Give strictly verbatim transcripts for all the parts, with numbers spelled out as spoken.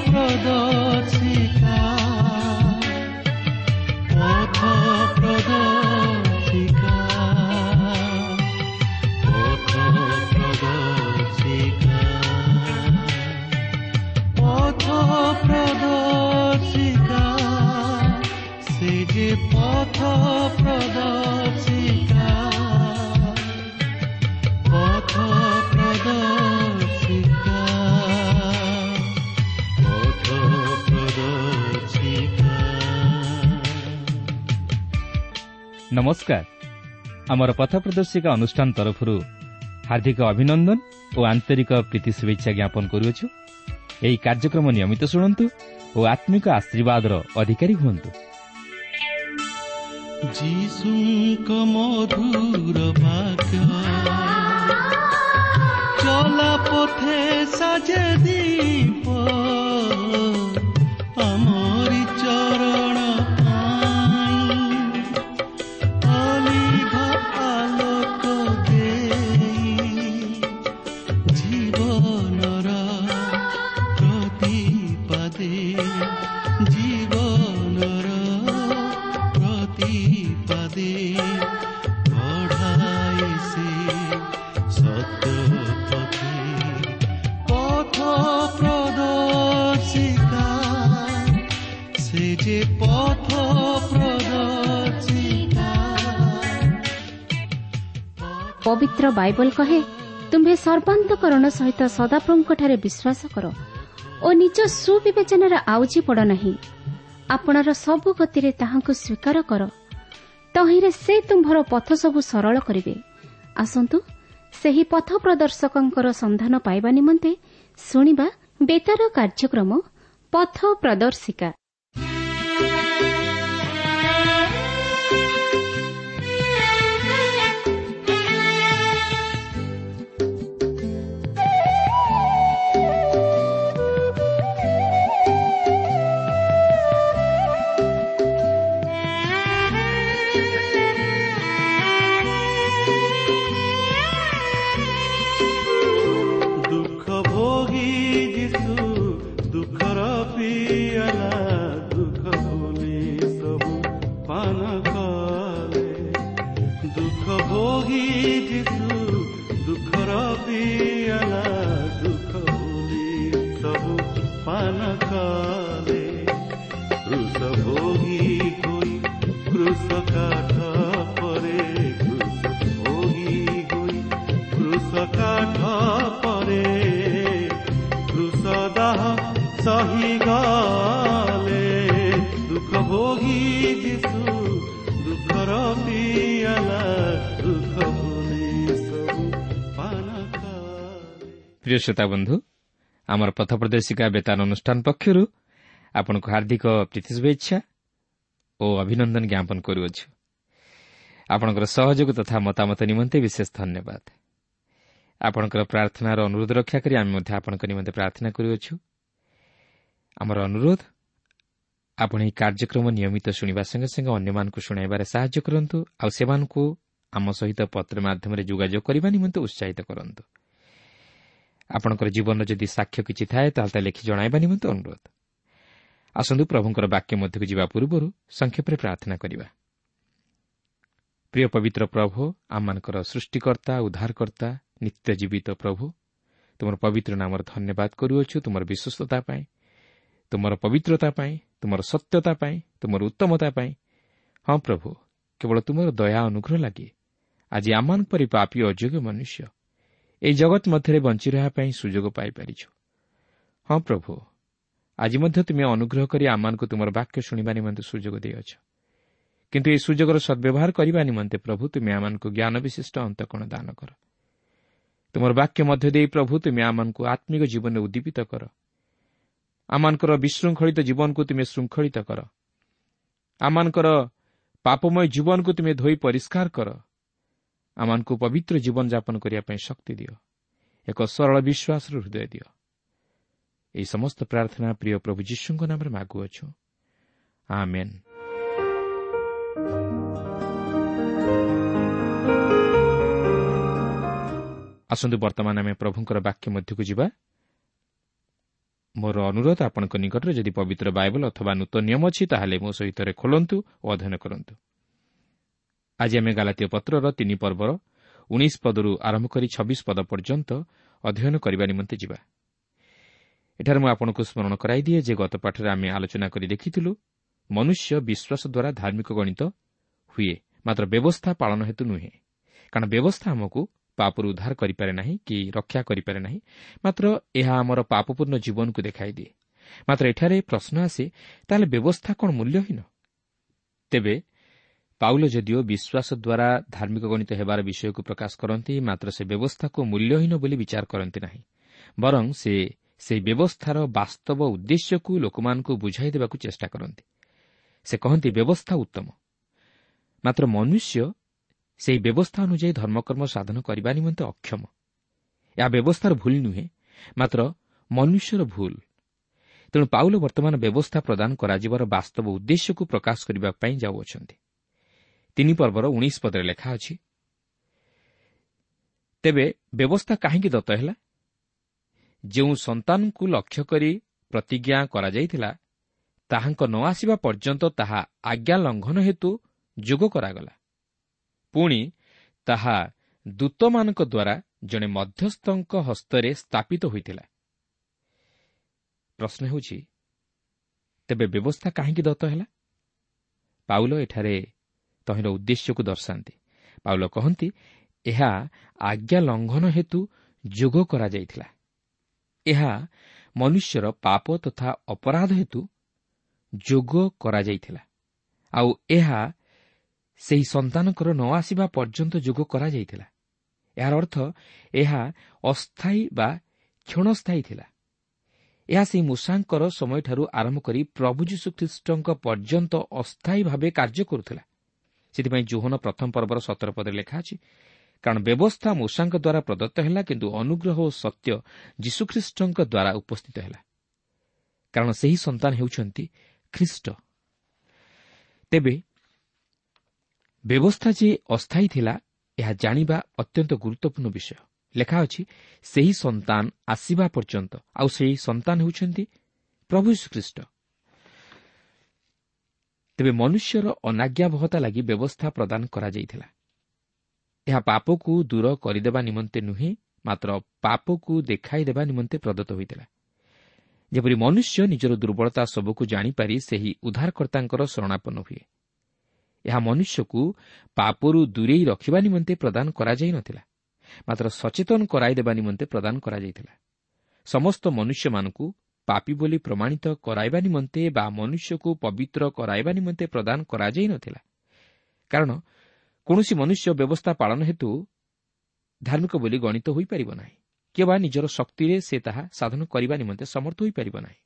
ପ୍ରଦର୍ଶିକା, ପଥ ପ୍ରଦର୍ଶିକା, ପଥ ପ୍ରଦର୍ଶିକା, ପଥ ପ୍ରଦର୍ଶିକା, ସେ ଯେ ପଥ ପ୍ରଦର୍ଶିକା, ପଥ ପ୍ରଦର୍ଶିକା, ପଥ ପ୍ରଦର୍ଶିକା। ନମସ୍କାର। ଆମର ପଥ ପ୍ରଦର୍ଶିକା ଅନୁଷ୍ଠାନ ତରଫରୁ ହାର୍ଦ୍ଦିକ ଅଭିନନ୍ଦନ ଓ ଆନ୍ତରିକ ପ୍ରୀତି ଶୁଭେଚ୍ଛା ଜ୍ଞାପନ କରୁଅଛୁ। ଏହି କାର୍ଯ୍ୟକ୍ରମ ନିୟମିତ ଶୁଣନ୍ତୁ ଓ ଆତ୍ମିକ ଆଶୀର୍ବାଦର ଅଧିକାରୀ ହୁଅନ୍ତୁ। ଯୀଶୁଙ୍କ ମଧୁର ବାକ୍ୟ ଚଲା ପଥେ ସାଜେ ଦୀପ, ଆମରି ଚରଣ ପାଇଁ ଅଲିଭ ଆଲୋକ ଦେଇ, ଜୀବନର ପ୍ରତିପାଦେ, ଜୀବନର ପ୍ରତିପାଦେ ବଢ଼ାଏ ସେ ସତ୍ୟ ପଥେ। ପଥ ପ୍ରଦର୍ଶିକା, ସେ ଯେ ପଥ ପ୍ରଦର୍ଶିକା। ପବିତ୍ର ବାଇବଲ କହେ, ତୁମ୍ଭେ ସର୍ବାନ୍ତକରଣ ସହିତ ସଦାପ୍ରଭୁଙ୍କଠାରେ ବିଶ୍ୱାସ କର ଓ ନିଜ ସୁବିବେଚନାରେ ଆଉଜି ପଡ଼ ନାହିଁ। ଆପଣର ସବୁ ଗତିରେ ତାହାଙ୍କୁ ସ୍ୱୀକାର କର, ତହିଁରେ ସେ ତୁମ୍ଭର ପଥ ସବୁ ସରଳ କରିବେ। ଆସନ୍ତୁ ସେହି ପଥ ପ୍ରଦର୍ଶକଙ୍କର ସନ୍ଧାନ ପାଇବା ନିମନ୍ତେ ଶୁଣିବା ବେତାର କାର୍ଯ୍ୟକ୍ରମ ପଥ ପ୍ରଦର୍ଶିକା। ଦୁଃଖ ଭୋଗୀ ଯୀଶୁ ଦୁଃଖର ପିଆଲା ଦୁଃଖ ଭୁଲି ସବୁ ପାନ କଲେ। ଦୁଃଖ ଭୋଗୀ ଯୀଶୁ ଦୁଃଖର ପିଆଲା ଦୁଃଖ ଭୁଲି ସବୁ ପାନ କଲେ। କ୍ରୁଶ ଭୋଗୀ ହୋଇ କ୍ରୁଶ କାଠ ପରେ, କ୍ରୁଶ ଭୋଗୀ ହୋଇ କ୍ରୁଶ କାଠ ପରେ, କ୍ରୁଶ ଦାହ ସହି ଗଲେ। ଦୁଃଖ ଭୋଗୀ ଯୀଶୁ ଦୁଃଖର ପିଆଲା ଦୁଃଖ ଭୁଲି ସବୁ ପାନ କଲେ। ପ୍ରିୟ ଶ୍ରୋତା ବନ୍ଧୁ, ଆମର ପଥ ପ୍ରଦର୍ଶିକା ବେତାର ଅନୁଷ୍ଠାନ ପକ୍ଷରୁ ଆପଣଙ୍କୁ ହାର୍ଦ୍ଦିକ ପ୍ରୀତି ଶୁଭେଚ୍ଛା ଓ ଅଭିନନ୍ଦନ ଜ୍ଞାପନ କରୁଅଛୁ। ଆପଣଙ୍କର ସହଯୋଗ ତଥା ମତାମତ ନିମନ୍ତେ ବିଶେଷ ଧନ୍ୟବାଦ। ଆପଣଙ୍କର ପ୍ରାର୍ଥନାର ଅନୁରୋଧ ରକ୍ଷା କରି ଆମେ ମଧ୍ୟ ଆପଣଙ୍କ ନିମନ୍ତେ ପ୍ରାର୍ଥନା କରୁଅଛୁ। ଆମର ଅନୁରୋଧ, ଆପଣ ଏହି କାର୍ଯ୍ୟକ୍ରମ ନିୟମିତ ଶୁଣିବା ସଙ୍ଗେ ସଙ୍ଗେ ଅନ୍ୟମାନଙ୍କୁ ଶୁଣାଇବାରେ ସାହାଯ୍ୟ କରନ୍ତୁ ଆଉ ସେମାନଙ୍କୁ ଆମ ସହିତ ପତ୍ର ମାଧ୍ୟମରେ ଯୋଗାଯୋଗ କରିବା ନିମନ୍ତେ ଉତ୍ସାହିତ କରନ୍ତୁ। ଆପଣଙ୍କର ଜୀବନର ଯଦି ସାକ୍ଷ୍ୟ କିଛି ଥାଏ, ତାହେଲେ ତା ଲେଖି ଜଣାଇବା ନିମନ୍ତେ ଅନୁରୋଧ। ଆସନ୍ତୁ ପ୍ରଭୁଙ୍କର ବାକ୍ୟ ମଧ୍ୟକୁ ଯିବା ପୂର୍ବରୁ ସଂକ୍ଷେପରେ ପ୍ରାର୍ଥନା କରିବା। ପ୍ରିୟ ପବିତ୍ର ପ୍ରଭୁ, ଆମମାନଙ୍କର ସୃଷ୍ଟିକର୍ତ୍ତା, ଉଦ୍ଧାରକର୍ତ୍ତା, ନିତ୍ୟ ଜୀବିତ ପ୍ରଭୁ, ତୁମର ପବିତ୍ର ନାମର ଧନ୍ୟବାଦ କରୁଅଛୁ ତୁମର ବିଶ୍ୱସ୍ତତା ପାଇଁ, ତୁମର ପବିତ୍ରତା ପାଇଁ, ତୁମର ସତ୍ୟତା ପାଇଁ, ତୁମର ଉତ୍ତମତା ପାଇଁ। ହଁ ପ୍ରଭୁ, କେବଳ ତୁମର ଦୟା ଅନୁଗ୍ରହ ଲାଗି ଆଜି ଆମମାନଙ୍କ ପରି ପାପୀ ଅଯୋଗ୍ୟ ମନୁଷ୍ୟ ଏହି ଜଗତ ମଧ୍ୟରେ ବଞ୍ଚି ରହିବା ପାଇଁ ସୁଯୋଗ ପାଇପାରିଛୁ। ହଁ ପ୍ରଭୁ, ଆଜି ମଧ୍ୟ ତୁମେ ଅନୁଗ୍ରହ କରି ଆମମାନଙ୍କୁ ତୁମର ବାକ୍ୟ ଶୁଣିବା ନିମନ୍ତେ ସୁଯୋଗ ଦେଇଅଛ। କିନ୍ତୁ ଏହି ସୁଯୋଗର ସଦ୍ବ୍ୟବହାର କରିବା ନିମନ୍ତେ ପ୍ରଭୁ ତୁମେ ଆମମାନଙ୍କୁ ଜ୍ଞାନ ବିଶିଷ୍ଟ ଅନ୍ତଃକରଣ ଦାନ କର। ତୁମର ବାକ୍ୟ ମଧ୍ୟ ଦେଇ ପ୍ରଭୁ ତୁମେ ଆମମାନଙ୍କୁ ଆତ୍ମିକ ଜୀବନରେ ଉଦ୍ଦୀପିତ କର। ଆମମାନଙ୍କର ବିଶୃଙ୍ଖଳିତ ଜୀବନକୁ ତୁମେ ଶୃଙ୍ଖଳିତ କର। ଆମମାନଙ୍କର ପାପମୟ ଜୀବନକୁ ତୁମେ ଧୋଇ ପରିଷ୍କାର କର। ଆମମାନଙ୍କୁ ପବିତ୍ର ଜୀବନଯାପନ କରିବା ପାଇଁ ଶକ୍ତି ଦିଅ। ଏକ ସରଳ ବିଶ୍ୱାସର ହୃଦୟ ଦିଅ। ଏହି ସମସ୍ତ ପ୍ରାର୍ଥନା ପ୍ରିୟ ପ୍ରଭୁ ଯୀଶୁଙ୍କ ନାମରେ ମାଗୁଅଛୁ, ଆମେନ୍। ଆସନ୍ତୁ ବର୍ତ୍ତମାନ ଆମେ ପ୍ରଭୁଙ୍କର ବାକ୍ୟ ମଧ୍ୟକୁ ଯିବା। ମୋର ଅନୁରୋଧ ଆପଣଙ୍କ ନିକଟରେ ଯଦି ପବିତ୍ର ବାଇବଲ ଅଥବା ନୂତନ ନିୟମ ଅଛି ତାହେଲେ ମୋ ସହିତ ଖୋଲନ୍ତୁ ଓ ଅଧ୍ୟୟନ କରନ୍ତୁ। ଆଜି ଆମେ ଗାଲାତୀୟ ପତ୍ରର ତିନି ପର୍ବର ଉଣେଇଶ ପଦରୁ ଆରମ୍ଭ କରି ଛବିଶ ପଦ ପର୍ଯ୍ୟନ୍ତ ଅଧ୍ୟୟନ କରିବା ନିମନ୍ତେ ଯିବା। ଏଠାରେ ମୁଁ ଆପଣଙ୍କୁ ସ୍ମରଣ କରାଇଦିଏ ଯେ ଗତ ପାଠରେ ଆମେ ଆଲୋଚନା କରି ଦେଖିଥିଲୁ ମନୁଷ୍ୟ ବିଶ୍ୱାସ ଦ୍ୱାରା ଧାର୍ମିକ ଗଣିତ ହୁଏ, ମାତ୍ର ବ୍ୟବସ୍ଥା ପାଳନ ହେତୁ ନୁହେଁ। କାରଣ ବ୍ୟବସ୍ଥା ଆମକୁ ପାପରୁ ଉଦ୍ଧାର କରିପାରେ ନାହିଁ କି ରକ୍ଷା କରିପାରେ ନାହିଁ, ମାତ୍ର ଏହା ଆମର ପାପପୂର୍ଣ୍ଣ ଜୀବନକୁ ଦେଖାଇଦିଏ। ମାତ୍ର ଏଠାରେ ପ୍ରଶ୍ନ ଆସେ, ତାହେଲେ ବ୍ୟବସ୍ଥା କ'ଣ ମୂଲ୍ୟହୀନ? ତେବେ ପାଉଲ ଯଦିଓ ବିଶ୍ୱାସ ଦ୍ୱାରା ଧାର୍ମିକ ଗଣିତ ହେବାର ବିଷୟକୁ ପ୍ରକାଶ କରନ୍ତି, ମାତ୍ର ସେ ବ୍ୟବସ୍ଥାକୁ ମୂଲ୍ୟହୀନ ବୋଲି ବିଚାର କରନ୍ତି ନାହିଁ, ବରଂ ସେ ସେହି ବ୍ୟବସ୍ଥାର ବାସ୍ତବ ଉଦ୍ଦେଶ୍ୟକୁ ଲୋକମାନଙ୍କୁ ବୁଝାଇ ଦେବାକୁ ଚେଷ୍ଟା କରନ୍ତି। ସେ କହନ୍ତି ବ୍ୟବସ୍ଥା ଉତ୍ତମ, ମାତ୍ର ମନୁଷ୍ୟ ସେହି ବ୍ୟବସ୍ଥା ଅନୁଯାୟୀ ଧର୍ମକର୍ମ ସାଧନ କରିବା ନିମନ୍ତେ ଅକ୍ଷମ। ଏହା ବ୍ୟବସ୍ଥାର ଭୁଲ ନୁହେଁ, ମାତ୍ର ମନୁଷ୍ୟର ଭୁଲ। ତେଣୁ ପାଉଲ ବର୍ତ୍ତମାନ ବ୍ୟବସ୍ଥା ପ୍ରଦାନ କରାଯିବାର ବାସ୍ତବ ଉଦ୍ଦେଶ୍ୟକୁ ପ୍ରକାଶ କରିବା ପାଇଁ ଯାଉଅଛନ୍ତି। ତିନି ପର୍ବର ଉଣେଇଶ ପଦରେ ଲେଖା ଅଛି, ତେବେ ବ୍ୟବସ୍ଥା କାହିଁକି ଦତ୍ତ ହେଲା? ଯେଉଁ ସନ୍ତାନଙ୍କୁ ଲକ୍ଷ୍ୟ କରି ପ୍ରତିଜ୍ଞା କରାଯାଇଥିଲା, ତାହାଙ୍କ ନ ଆସିବା ପର୍ଯ୍ୟନ୍ତ ତାହା ଆଜ୍ଞା ଲଙ୍ଘନ ହେତୁ ଯୋଗ କରାଗଲା। ପୁଣି ତାହା ଦୂତମାନଙ୍କ ଦ୍ୱାରା ଜଣେ ମଧ୍ୟସ୍ଥଙ୍କ ହସ୍ତରେ ସ୍ଥାପିତ ହୋଇଥିଲା। ପ୍ରଶ୍ନ ହେଉଛି, ତେବେ ବ୍ୟବସ୍ଥା କାହିଁକି ଦତ୍ତ ହେଲା? ପାଉଲ ଏଠାରେ ତହିଁର ଉଦ୍ଦେଶ୍ୟକୁ ଦର୍ଶାନ୍ତି। ପାଉଲ କହନ୍ତି, ଏହା ଆଜ୍ଞା ଲଙ୍ଘନ ହେତୁ ଯୋଗ କରାଯାଇଥିଲା। ଏହା ମନୁଷ୍ୟର ପାପ ତଥା ଅପରାଧ ହେତୁ ଯୋଗ କରାଯାଇଥିଲା, ଆଉ ଏହା ସେହି ସନ୍ତାନଙ୍କର ନ ଆସିବା ପର୍ଯ୍ୟନ୍ତ ଯୋଗ କରାଯାଇଥିଲା। ଏହାର ଅର୍ଥ ଏହା ଅସ୍ଥାୟୀ ବା କ୍ଷଣସ୍ଥାୟୀ ଥିଲା। ଏହା ସେହି ମୂଷାଙ୍କର ସମୟଠାରୁ ଆରମ୍ଭ କରି ପ୍ରଭୁ ଯୀଶୁଖ୍ରୀଷ୍ଟଙ୍କ ପର୍ଯ୍ୟନ୍ତ ଅସ୍ଥାୟୀ ଭାବେ କାର୍ଯ୍ୟ କରୁଥିଲା। ସେଥିପାଇଁ ଯୋହନ ପ୍ରଥମ ପର୍ବର ସତର ପଦରେ ଲେଖା ଅଛି, କାରଣ ବ୍ୟବସ୍ଥା ମୂଷାଙ୍କ ଦ୍ୱାରା ପ୍ରଦତ୍ତ ହେଲା, କିନ୍ତୁ ଅନୁଗ୍ରହ ଓ ସତ୍ୟ ଯୀଶୁଖ୍ରୀଷ୍ଟଙ୍କ ଦ୍ୱାରା ଉପସ୍ଥିତ ହେଲା। କାରଣ ସେହି ସନ୍ତାନ ହେଉଛନ୍ତି ଖ୍ରୀଷ୍ଟ। ତେବେ ବ୍ୟବସ୍ଥା ଯେ ଅସ୍ଥାୟୀ ଥିଲା, ଏହା ଜାଣିବା ଅତ୍ୟନ୍ତ ଗୁରୁତ୍ୱପୂର୍ଣ୍ଣ ବିଷୟ। ଲେଖା ଅଛି, ସେହି ସନ୍ତାନ ଆସିବା ପର୍ଯ୍ୟନ୍ତ, ଆଉ ସେହି ସନ୍ତାନ ହେଉଛନ୍ତି ପ୍ରଭୁ ଯୀଶୁଖ୍ରୀଷ୍ଟ। ତେବେ ମନୁଷ୍ୟର ଅନାଜ୍ଞାବହତା ଲାଗି ବ୍ୟବସ୍ଥା ପ୍ରଦାନ କରାଯାଇଥିଲା। ଏହା ପାପକୁ ଦୂର କରିଦେବା ନିମନ୍ତେ ନୁହେଁ, ମାତ୍ର ପାପକୁ ଦେଖାଇଦେବା ନିମନ୍ତେ ପ୍ରଦତ୍ତ ହୋଇଥିଲା। ଯେପରି ମନୁଷ୍ୟ ନିଜର ଦୁର୍ବଳତା ସବୁକୁ ଜାଣିପାରି ସେହି ଉଦ୍ଧାରକର୍ତ୍ତାଙ୍କର ଶରଣାପନ୍ନ ହୁଏ। ଏହା ମନୁଷ୍ୟକୁ ପାପରୁ ଦୂରେଇ ରଖିବା ନିମନ୍ତେ ପ୍ରଦାନ କରାଯାଇନଥିଲା, ମାତ୍ର ସଚେତନ କରାଇଦେବା ନିମନ୍ତେ ପ୍ରଦାନ କରାଯାଇଥିଲା। ସମସ୍ତ ମନୁଷ୍ୟମାନଙ୍କୁ ପାପୀ ବୋଲି ପ୍ରମାଣିତ କରାଇବା ନିମନ୍ତେ ବା ମନୁଷ୍ୟକୁ ପବିତ୍ର କରାଇବା ନିମନ୍ତେ ପ୍ରଦାନ କରାଯାଇନଥିଲା। କାରଣ କୌଣସି ମନୁଷ୍ୟ ବ୍ୟବସ୍ଥା ପାଳନ ହେତୁ ଧାର୍ମିକ ବୋଲି ଗଣିତ ହୋଇପାରିବ ନାହିଁ, କିମ୍ବା ନିଜର ଶକ୍ତିରେ ସେ ତାହା ସାଧନ କରିବା ନିମନ୍ତେ ସମର୍ଥ ହୋଇପାରିବ ନାହିଁ।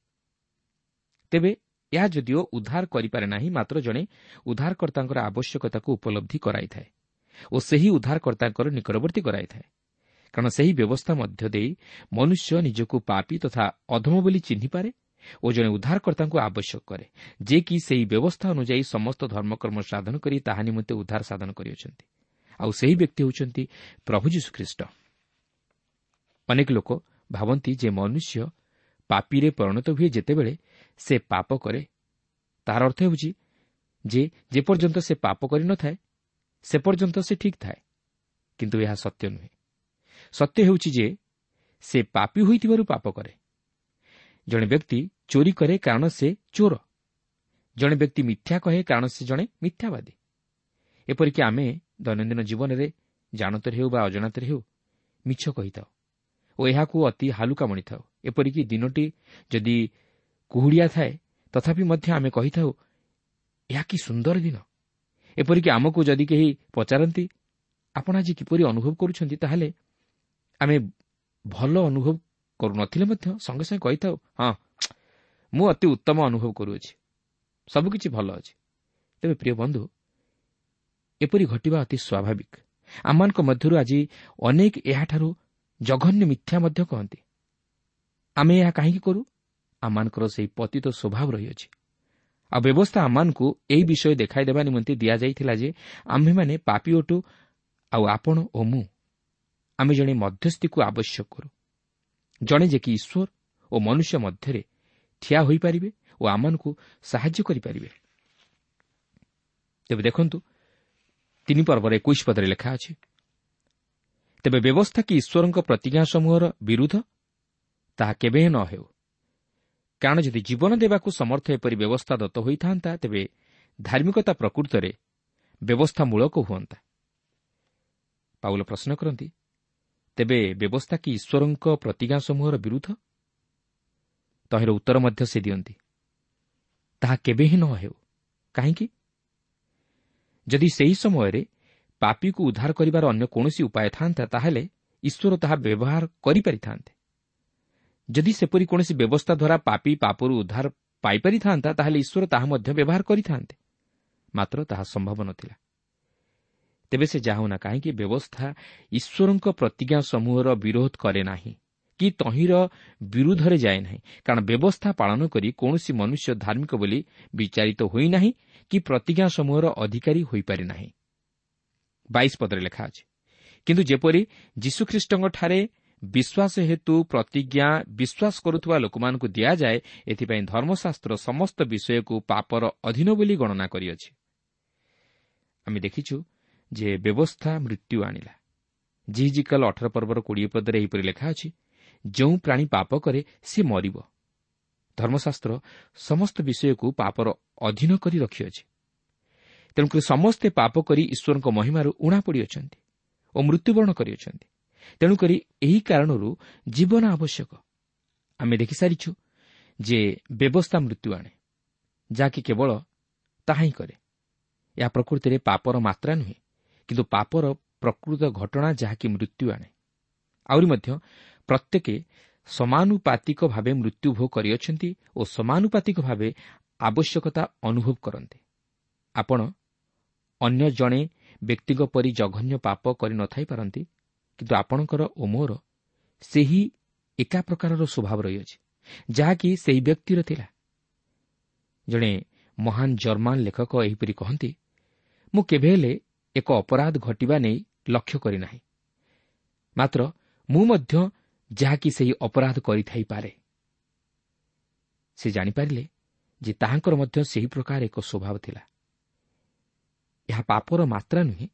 ତେବେ ଏହା ଯଦିଓ ଉଦ୍ଧାର କରିପାରେ ନାହିଁ, ମାତ୍ର ଜଣେ ଉଦ୍ଧାରକର୍ତ୍ତାଙ୍କର ଆବଶ୍ୟକତାକୁ ଉପଲବ୍ଧି କରାଇଥାଏ ଓ ସେହି ଉଦ୍ଧାରକର୍ତ୍ତାଙ୍କର ନିକଟବର୍ତ୍ତୀ କରାଇଥାଏ। କାରଣ ସେହି ବ୍ୟବସ୍ଥା ମଧ୍ୟ ଦେଇ ମନୁଷ୍ୟ ନିଜକୁ ପାପୀ ତଥା ଅଧମ ବୋଲି ଚିହ୍ନିପାରେ ଓ ଜଣେ ଉଦ୍ଧାରକର୍ତ୍ତାଙ୍କୁ ଆବଶ୍ୟକ କରେ, ଯେ କି ସେହି ବ୍ୟବସ୍ଥା ଅନୁଯାୟୀ ସମସ୍ତ ଧର୍ମକର୍ମ ସାଧନ କରି ତାହା ନିମନ୍ତେ ଉଦ୍ଧାର ସାଧନ କରିଅଛନ୍ତି। ଆଉ ସେହି ବ୍ୟକ୍ତି ହେଉଛନ୍ତି ପ୍ରଭୁ ଯୀଶୁଖ୍ରୀଷ୍ଟ। ଅନେକ ଲୋକ ଭାବନ୍ତି ଯେ ମନୁଷ୍ୟ ପାପୀରେ ପରିଣତ ହୁଏ ଯେତେବେଳେ ସେ ପାପ କରେ। ତାହାର ଅର୍ଥ ହେଉଛି ଯେ ଯେପର୍ଯ୍ୟନ୍ତ ସେ ପାପ କରିନଥାଏ ସେ ପର୍ଯ୍ୟନ୍ତ ସେ ଠିକ୍ ଥାଏ, କିନ୍ତୁ ଏହା ସତ୍ୟ ନୁହେଁ। ସତ୍ୟ ହେଉଛି ଯେ ସେ ପାପୀ ହୋଇଥିବାରୁ ପାପ କରେ। ଜଣେ ବ୍ୟକ୍ତି ଚୋରି କରେ କାରଣ ସେ ଚୋର। ଜଣେ ବ୍ୟକ୍ତି ମିଥ୍ୟା କହେ କାରଣ ସେ ଜଣେ ମିଥ୍ୟାବାଦୀ। ଏପରିକି ଆମେ ଦୈନନ୍ଦିନ ଜୀବନରେ ଜାଣତରେ ହେଉ ବା ଅଜାଣତରେ ହେଉ ମିଛ କହିଥାଉ ଓ ଏହାକୁ ଅତି ହାଲୁକା ମଣିଥାଉ। ଏପରିକି ଦିନଟି ଯଦି କୁହୁଡ଼ିଆ ଥାଏ ତଥାପି ମଧ୍ୟ ଆମେ କହିଥାଉ, ଏହା କି ସୁନ୍ଦର ଦିନ। ଏପରିକି ଆମକୁ ଯଦି କେହି ପଚାରନ୍ତି ଆପଣ ଆଜି କିପରି ଅନୁଭବ କରୁଛନ୍ତି, ତାହେଲେ ଆମେ ଭଲ ଅନୁଭବ କରୁନଥିଲେ ମଧ୍ୟ ସଙ୍ଗେ ସଙ୍ଗେ କହିଥାଉ, ହଁ ମୁଁ ଅତି ଉତ୍ତମ ଅନୁଭବ କରୁଅଛି, ସବୁକିଛି ଭଲ ଅଛି। ତେବେ ପ୍ରିୟ ବନ୍ଧୁ, ଏପରି ଘଟିବା ଅତି ସ୍ୱାଭାବିକ। ଆମମାନଙ୍କ ମଧ୍ୟରୁ ଆଜି ଅନେକ ଏହାଠାରୁ ଜଘନ୍ୟ ମିଥ୍ୟା ମଧ୍ୟ କହନ୍ତି। ଆମେ ଏହା କାହିଁକି କରୁ? ଆମମାନଙ୍କର ସେହି ପତିତ ସ୍ୱଭାବ ରହିଅଛି। ଆଉ ବ୍ୟବସ୍ଥା ଆମମାନଙ୍କୁ ଏହି ବିଷୟ ଦେଖାଇଦେବା ନିମନ୍ତେ ଦିଆଯାଇଥିଲା ଯେ ଆମ୍ଭେମାନେ ପାପୀ ଅଟୁ, ଆଉ ଆପଣ ଓ ମୁଁ ଆମେ ଜଣେ ମଧ୍ୟସ୍ଥିକୁ ଆବଶ୍ୟକ କରୁ, ଜଣେ ଯେ କି ଈଶ୍ୱର ଓ ମନୁଷ୍ୟ ମଧ୍ୟରେ ଠିଆ ହୋଇପାରିବେ ଓ ଆମମାନଙ୍କୁ ସାହାଯ୍ୟ କରିପାରିବେ। ତେବେ ଦେଖନ୍ତୁ, ତିନି ପର୍ବର ଏକୋଇଶ ପଦରେ ଲେଖା ଅଛି, ତେବେ ବ୍ୟବସ୍ଥା କି ଈଶ୍ୱରଙ୍କ ପ୍ରତିଜ୍ଞା ସମୂହର ବିରୁଦ୍ଧ? ତାହା କେବେ ନ ହେଉ। କାରଣ ଯଦି ଜୀବନ ଦେବାକୁ ସମର୍ଥ ଏପରି ବ୍ୟବସ୍ଥା ଦତ୍ତ ହୋଇଥାନ୍ତା, ତେବେ ଧାର୍ମିକତା ପ୍ରକୃତରେ ବ୍ୟବସ୍ଥାମୂଳକ ହୁଅନ୍ତା। ପାଉଲ ପ୍ରଶ୍ନ କରନ୍ତି, ତେବେ ବ୍ୟବସ୍ଥା କି ଈଶ୍ୱରଙ୍କ ପ୍ରତିଜ୍ଞା ସମୂହର ବିରୁଦ୍ଧ? ତହିଁର ଉତ୍ତର ମଧ୍ୟ ସେ ଦିଅନ୍ତି, ତାହା କେବେ ହିଁ ନ ହେଉ। କାହିଁକି? ଯଦି ସେହି ସମୟରେ ପାପୀକୁ ଉଦ୍ଧାର କରିବାର ଅନ୍ୟ କୌଣସି ଉପାୟ ଥାନ୍ତା, ତାହେଲେ ଈଶ୍ୱର ତାହା ବ୍ୟବହାର କରିପାରିଥାନ୍ତେ। ଯଦି ସେପରି କୌଣସି ବ୍ୟବସ୍ଥା ଦ୍ୱାରା ପାପୀ ପାପରୁ ଉଦ୍ଧାର ପାଇପାରିଥାନ୍ତା, ତାହେଲେ ଈଶ୍ୱର ତାହା ମଧ୍ୟ ବ୍ୟବହାର କରିଥାନ୍ତେ। ମାତ୍ର ତାହା ସମ୍ଭବ ନଥିଲା। ତେବେ ସେ ଯାହା ହେଉନା କାହିଁକି, ବ୍ୟବସ୍ଥା ଈଶ୍ୱରଙ୍କ ପ୍ରତିଜ୍ଞା ସମୂହର ବିରୋଧ କରେ ନାହିଁ କି ତହିଁର ବିରୁଦ୍ଧରେ ଯାଏ ନାହିଁ। କାରଣ ବ୍ୟବସ୍ଥା ପାଳନ କରି କୌଣସି ମନୁଷ୍ୟ ଧାର୍ମିକ ବୋଲି ବିଚାରିତ ହୋଇନାହିଁ କି ପ୍ରତିଜ୍ଞା ସମୂହର ଅଧିକାରୀ ହୋଇପାରେ ନାହିଁ। ବାଇଶ ପଦରେ ଲେଖା ଅଛି, କିନ୍ତୁ ଯେପରି ଯୀଶୁଖ୍ରୀଷ୍ଟଙ୍କଠାରେ ବିଶ୍ୱାସ ହେତୁ ପ୍ରତିଜ୍ଞା ବିଶ୍ୱାସ କରୁଥିବା ଲୋକମାନଙ୍କୁ ଦିଆଯାଏ, ଏଥିପାଇଁ ଧର୍ମଶାସ୍ତ୍ର ସମସ୍ତ ବିଷୟକୁ ପାପର ଅଧୀନ ବୋଲି ଗଣନା କରିଅଛି। ଆମେ ଦେଖିଛୁ ଯେ ବ୍ୟବସ୍ଥା ମୃତ୍ୟୁ ଆଣିଲା। ଯିହିଜିକଲ ଅଠର ପର୍ବର କୋଡ଼ିଏ ପଦରେ ଏହିପରି ଲେଖା ଅଛି, ଯେଉଁ ପ୍ରାଣୀ ପାପ କରେ ସେ ମରିବ। ଧର୍ମଶାସ୍ତ୍ର ସମସ୍ତ ବିଷୟକୁ ପାପର ଅଧୀନ କରି ରଖିଅଛି। ତେଣୁକରି ସମସ୍ତେ ପାପ କରି ଈଶ୍ୱରଙ୍କ ମହିମାରୁ ଊଣା ପଡ଼ିଅଛନ୍ତି ଓ ମୃତ୍ୟୁବରଣ କରିଅଛନ୍ତି। ତେଣୁକରି ଏହି କାରଣରୁ ଜୀବନ ଆବଶ୍ୟକ। ଆମେ ଦେଖିସାରିଛୁ ଯେ ବ୍ୟବସ୍ଥା ମୃତ୍ୟୁ ଆଣେ, ଯାହାକି କେବଳ ତାହା ହିଁ କରେ। ଏହା ପ୍ରକୃତିରେ ପାପର ମାତ୍ରା ନୁହେଁ, କିନ୍ତୁ ପାପର ପ୍ରକୃତ ଘଟଣା, ଯାହାକି ମୃତ୍ୟୁ ଆଣେ। ଆହୁରି ମଧ୍ୟ ପ୍ରତ୍ୟେକ ସମାନୁପାତିକ ଭାବେ ମୃତ୍ୟୁ ଭୋଗ କରିଅଛନ୍ତି ଓ ସମାନୁପାତିକ ଭାବେ ଆବଶ୍ୟକତା ଅନୁଭବ କରନ୍ତି। ଆପଣ ଅନ୍ୟ ଜଣେ ବ୍ୟକ୍ତିଙ୍କ ପରି ଜଘନ୍ୟ ପାପ କରିନଥାଇପାରନ୍ତି, କିନ୍ତୁ ଆପଣଙ୍କର ଓ ମୋର ସେହି ଏକା ପ୍ରକାରର ସ୍ୱଭାବ ରହିଅଛି, ଯାହାକି ସେହି ବ୍ୟକ୍ତିର ଥିଲା। ଜଣେ ମହାନ ଜର୍ମାନ ଲେଖକ ଏହିପରି କହନ୍ତି, ମୁଁ କେବେ ହେଲେ ଏକ ଅପରାଧ ଘଟିବା ନେଇ ଲକ୍ଷ୍ୟ କରିନାହିଁ, ମାତ୍ର ମୁଁ ମଧ୍ୟ ଯାହାକି ସେହି ଅପରାଧ କରିଥାଇପାରେ। ସେ ଜାଣିପାରିଲେ ଯେ ତାହାଙ୍କର ମଧ୍ୟ ସେହି ପ୍ରକାର ଏକ ସ୍ୱଭାବ ଥିଲା। ଏହା ପାପର ମାତ୍ରା ନୁହେଁ,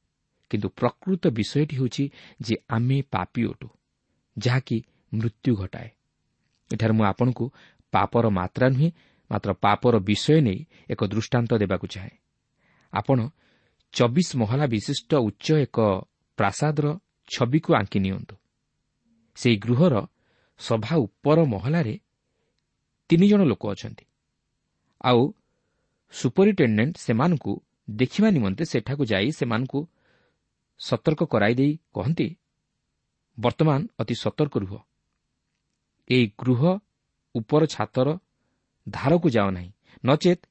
କିନ୍ତୁ ପ୍ରକୃତ ବିଷୟଟି ହେଉଛି ଯେ ଆମେ ପାପୀ ଅଟୁ, ଯାହାକି ମୃତ୍ୟୁ ଘଟାଏ। ଏଠାରେ ମୁଁ ଆପଣଙ୍କୁ ପାପର ମାତ୍ରା ନୁହେଁ, ମାତ୍ର ପାପର ବିଷୟ ନେଇ ଏକ ଦୃଷ୍ଟାନ୍ତ ଦେବାକୁ ଚାହେଁ। ଆପଣ ଚବିଶ ମହଲା ବିଶିଷ୍ଟ ଉଚ୍ଚ ଏକ ପ୍ରାସାଦର ଛବିକୁ ଆଙ୍କି ନିଅନ୍ତୁ। ସେହି ଗୃହର ସଭା ଉପର ମହଲାରେ ତିନି ଜଣ ଲୋକ ଅଛନ୍ତି, ଆଉ ସୁପରିଟେଣ୍ଡେଣ୍ଟ ସେମାନଙ୍କୁ ଦେଖିବା ନିମନ୍ତେ ସେଠାକୁ ଯାଇ ସେମାନଙ୍କୁ ସତର୍କ କରାଇ ଦେଇ କହନ୍ତି, ବର୍ତ୍ତମାନ ଅତି ସତର୍କ ରୁହ, ଏହି ଗୃହ ଉପର ଛାତର ଧାରକୁ ଯାଅ ନାହିଁ, ନଚେତ୍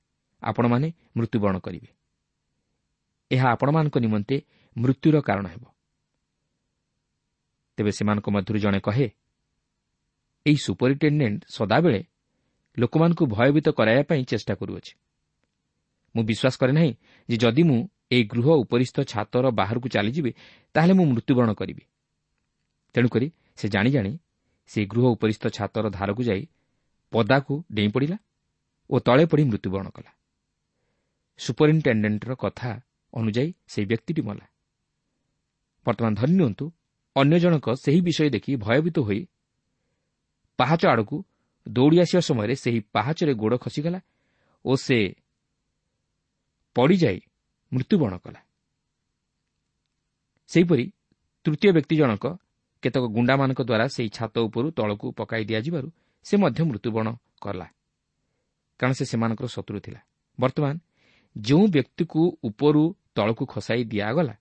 ଆପଣମାନେ ମୃତ୍ୟୁବରଣ କରିବେ। ଏହା ଆପଣମାନଙ୍କ ନିମନ୍ତେ ମୃତ୍ୟୁର କାରଣ ହେବ। ତେବେ ସେମାନଙ୍କ ମଧ୍ୟରୁ ଜଣେ କହେ, ଏହି ସୁପରିଟେଣ୍ଡେଣ୍ଟ ସଦାବେଳେ ଲୋକମାନଙ୍କୁ ଭୟଭୀତ କରାଇବା ପାଇଁ ଚେଷ୍ଟା କରୁଅଛି। ମୁଁ ବିଶ୍ୱାସ କରେ ନାହିଁ ଯେ ଯଦି ମୁଁ ଏହି ଗୃହ ଉପରିସ୍ଥ ଛାତର ବାହାରକୁ ଚାଲିଯିବି, ତାହେଲେ ମୁଁ ମୃତ୍ୟୁବରଣ କରିବି। ତେଣୁକରି ସେ ଜାଣି ଜାଣି ସେହି ଗୃହ ଉପରିସ୍ଥ ଛାତର ଧାରକୁ ଯାଇ ପଦାକୁ ଡେଇଁ ପଡ଼ିଲା ଓ ତଳେ ପଡ଼ି ମୃତ୍ୟୁବରଣ କଲା। ସୁପରିଟେଣ୍ଡେଣ୍ଟର କଥା ଅନୁଯାୟୀ ସେହି ବ୍ୟକ୍ତିଟି ମଲା। ବର୍ତ୍ତମାନ ଧରି ନିଅନ୍ତୁ ଅନ୍ୟ ଜଣକ ସେହି ବିଷୟ ଦେଖି ଭୟଭୀତ ହୋଇ ପାହାଚ ଆଡ଼କୁ ଦୌଡ଼ି ଆସିବା ସମୟରେ ସେହି ପାହାଚରେ ଗୋଡ଼ ଖସିଗଲା ଓ ସେ ପଡ଼ିଯାଇ ମୃତ୍ୟୁବରଣ କଲା। ସେହିପରି ତୃତୀୟ ବ୍ୟକ୍ତି ଜଣକ କେତେକ ଗୁଣ୍ଡାମାନଙ୍କ ଦ୍ୱାରା ସେହି ଛାତ ଉପରୁ ତଳକୁ ପକାଇ ଦିଆଯିବାରୁ ସେ ମଧ୍ୟ ମୃତ୍ୟୁବରଣ କଲା, କାରଣ ସେ ସେମାନଙ୍କର ଶତ୍ରୁ ଥିଲା। ବର୍ତ୍ତମାନ ଯେଉଁ ବ୍ୟକ୍ତିକୁ ଉପରୁ ତଳକୁ ଖସାଇ ଦିଆଗଲା,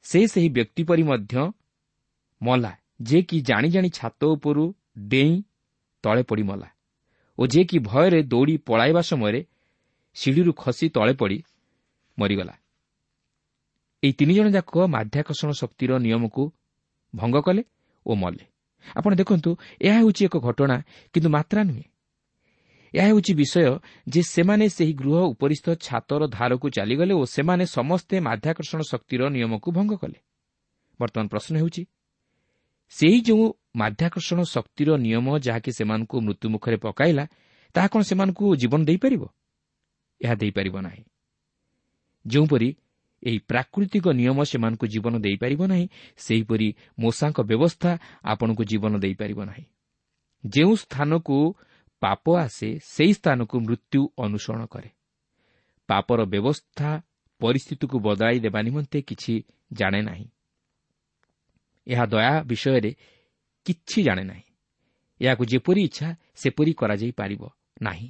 ସେ ସେହି ବ୍ୟକ୍ତି ପରି ମଧ୍ୟ ମଲା, ଯେ କି ଜାଣି ଜାଣି ଛାତ ଉପରୁ ଡେଇଁ ତଳେ ପଡ଼ି ମଲା ଓ ଯେ କି ଭୟରେ ଦୌଡ଼ି ପଳାଇବା ସମୟରେ ସିଡ଼ିରୁ ଖସି ତଳେ ପଡ଼ି ମରିଗଲା। ଏହି ତିନି ଜଣ ଯାକ ମାଧ୍ୟାକର୍ଷଣ ଶକ୍ତିର ନିୟମକୁ ଭଙ୍ଗ କଲେ ଓ ମଲେ। ଆପଣ ଦେଖନ୍ତୁ, ଏହା ହେଉଛି ଏକ ଘଟଣା, କିନ୍ତୁ ମାତ୍ରା ନୁହେଁ। ଏହା ହେଉଛି ବିଷୟ ଯେ ସେମାନେ ସେହି ଗୃହ ଉପରିସ୍ଥ ଛାତର ଧାରକୁ ଚାଲିଗଲେ ଓ ସେମାନେ ସମସ୍ତେ ମାଧ୍ୟାକର୍ଷଣ ଶକ୍ତିର ନିୟମକୁ ଭଙ୍ଗ କଲେ। ବର୍ତ୍ତମାନ ପ୍ରଶ୍ନ ହେଉଛି, ସେହି ଯେଉଁ ମାଧ୍ୟାକର୍ଷଣ ଶକ୍ତିର ନିୟମ ଯାହାକି ସେମାନଙ୍କୁ ମୃତ୍ୟୁମୁଖରେ ପକାଇଲା, ତାହା କ'ଣ ସେମାନଙ୍କୁ ଜୀବନ ଦେଇପାରିବ? ଏହା ଦେଇପାରିବ ନାହିଁ। ଯେଉଁପରି ଏହି ପ୍ରାକୃତିକ ନିୟମ ସେମାନଙ୍କୁ ଜୀବନ ଦେଇପାରିବ ନାହିଁ, ସେହିପରି ମୋଶାଙ୍କ ବ୍ୟବସ୍ଥା ଆପଣଙ୍କୁ ଜୀବନ ଦେଇପାରିବ ନାହିଁ। ଯେଉଁ ସ୍ଥାନକୁ ପାପ ଆସେ, ସେହି ସ୍ଥାନକୁ ମୃତ୍ୟୁ ଅନୁସରଣ କରେ। ପାପର ବ୍ୟବସ୍ଥା ପରିସ୍ଥିତିକୁ ବଦଳାଇ ଦେବା ନିମନ୍ତେ କିଛି ଜାଣେ ନାହିଁ। ଏହା ଦୟା ବିଷୟରେ କିଛି ଜାଣେ ନାହିଁ। ଏହାକୁ ଯେପରି ଇଚ୍ଛା ସେପରି କରାଯାଇପାରିବ ନାହିଁ।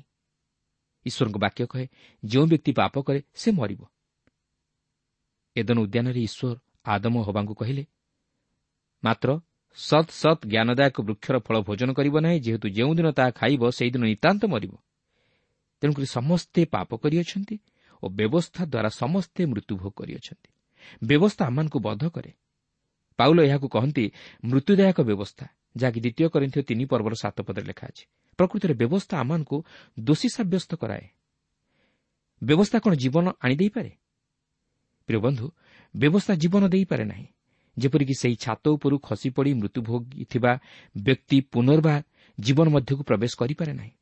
ଈଶ୍ୱରଙ୍କ ବାକ୍ୟ କହେ, ଯେଉଁ ବ୍ୟକ୍ତି ପାପ କରେ ସେ ମରିବ। ଏଦନ ଉଦ୍ୟାନରେ ଈଶ୍ୱର ଆଦମ ହବାଙ୍କୁ କହିଲେ, ମାତ୍ର ସତ୍ ସତ୍ ଜ୍ଞାନଦାୟକ ବୃକ୍ଷର ଫଳ ଭୋଜନ କରିବ ନାହିଁ, ଯେହେତୁ ଯେଉଁଦିନ ତାହା ଖାଇବ ସେହିଦିନ ନିତାନ୍ତ ମରିବ। ତେଣୁକରି ସମସ୍ତେ ପାପ କରିଅଛନ୍ତି ଓ ବ୍ୟବସ୍ଥା ଦ୍ୱାରା ସମସ୍ତେ ମୃତ୍ୟୁଭୋଗ କରିଅଛନ୍ତି। ବ୍ୟବସ୍ଥା ଆମମାନଙ୍କୁ ବଧ କରେ। ପାଉଲ ଏହାକୁ କହନ୍ତି ମୃତ୍ୟୁଦାୟକ ବ୍ୟବସ୍ଥା, ଯାହାକି ଦ୍ୱିତୀୟ କରିନ୍ଥୀୟ ତିନି ପର୍ବର ସାତ ପଦରେ ଲେଖା ଅଛି। ପ୍ରକୃତରେ ବ୍ୟବସ୍ଥା ଆମମାନଙ୍କୁ ଦୋଷୀ ସାବ୍ୟସ୍ତ କରାଏ। ବ୍ୟବସ୍ଥା କ'ଣ ଜୀବନ ଆଣିଦେଇପାରେ? ପ୍ରିୟ ବନ୍ଧୁ, ବ୍ୟବସ୍ଥା ଜୀବନ ଦେଇପାରେ ନାହିଁ। ଯେପରିକି ସେହି ଛାତ ଉପରୁ ଖସିପଡ଼ି ମୃତ୍ୟୁଭୋଗିଥିବା ବ୍ୟକ୍ତି ପୁନର୍ବାର ଜୀବନ ମଧ୍ୟକୁ ପ୍ରବେଶ କରିପାରେ ନାହିଁ।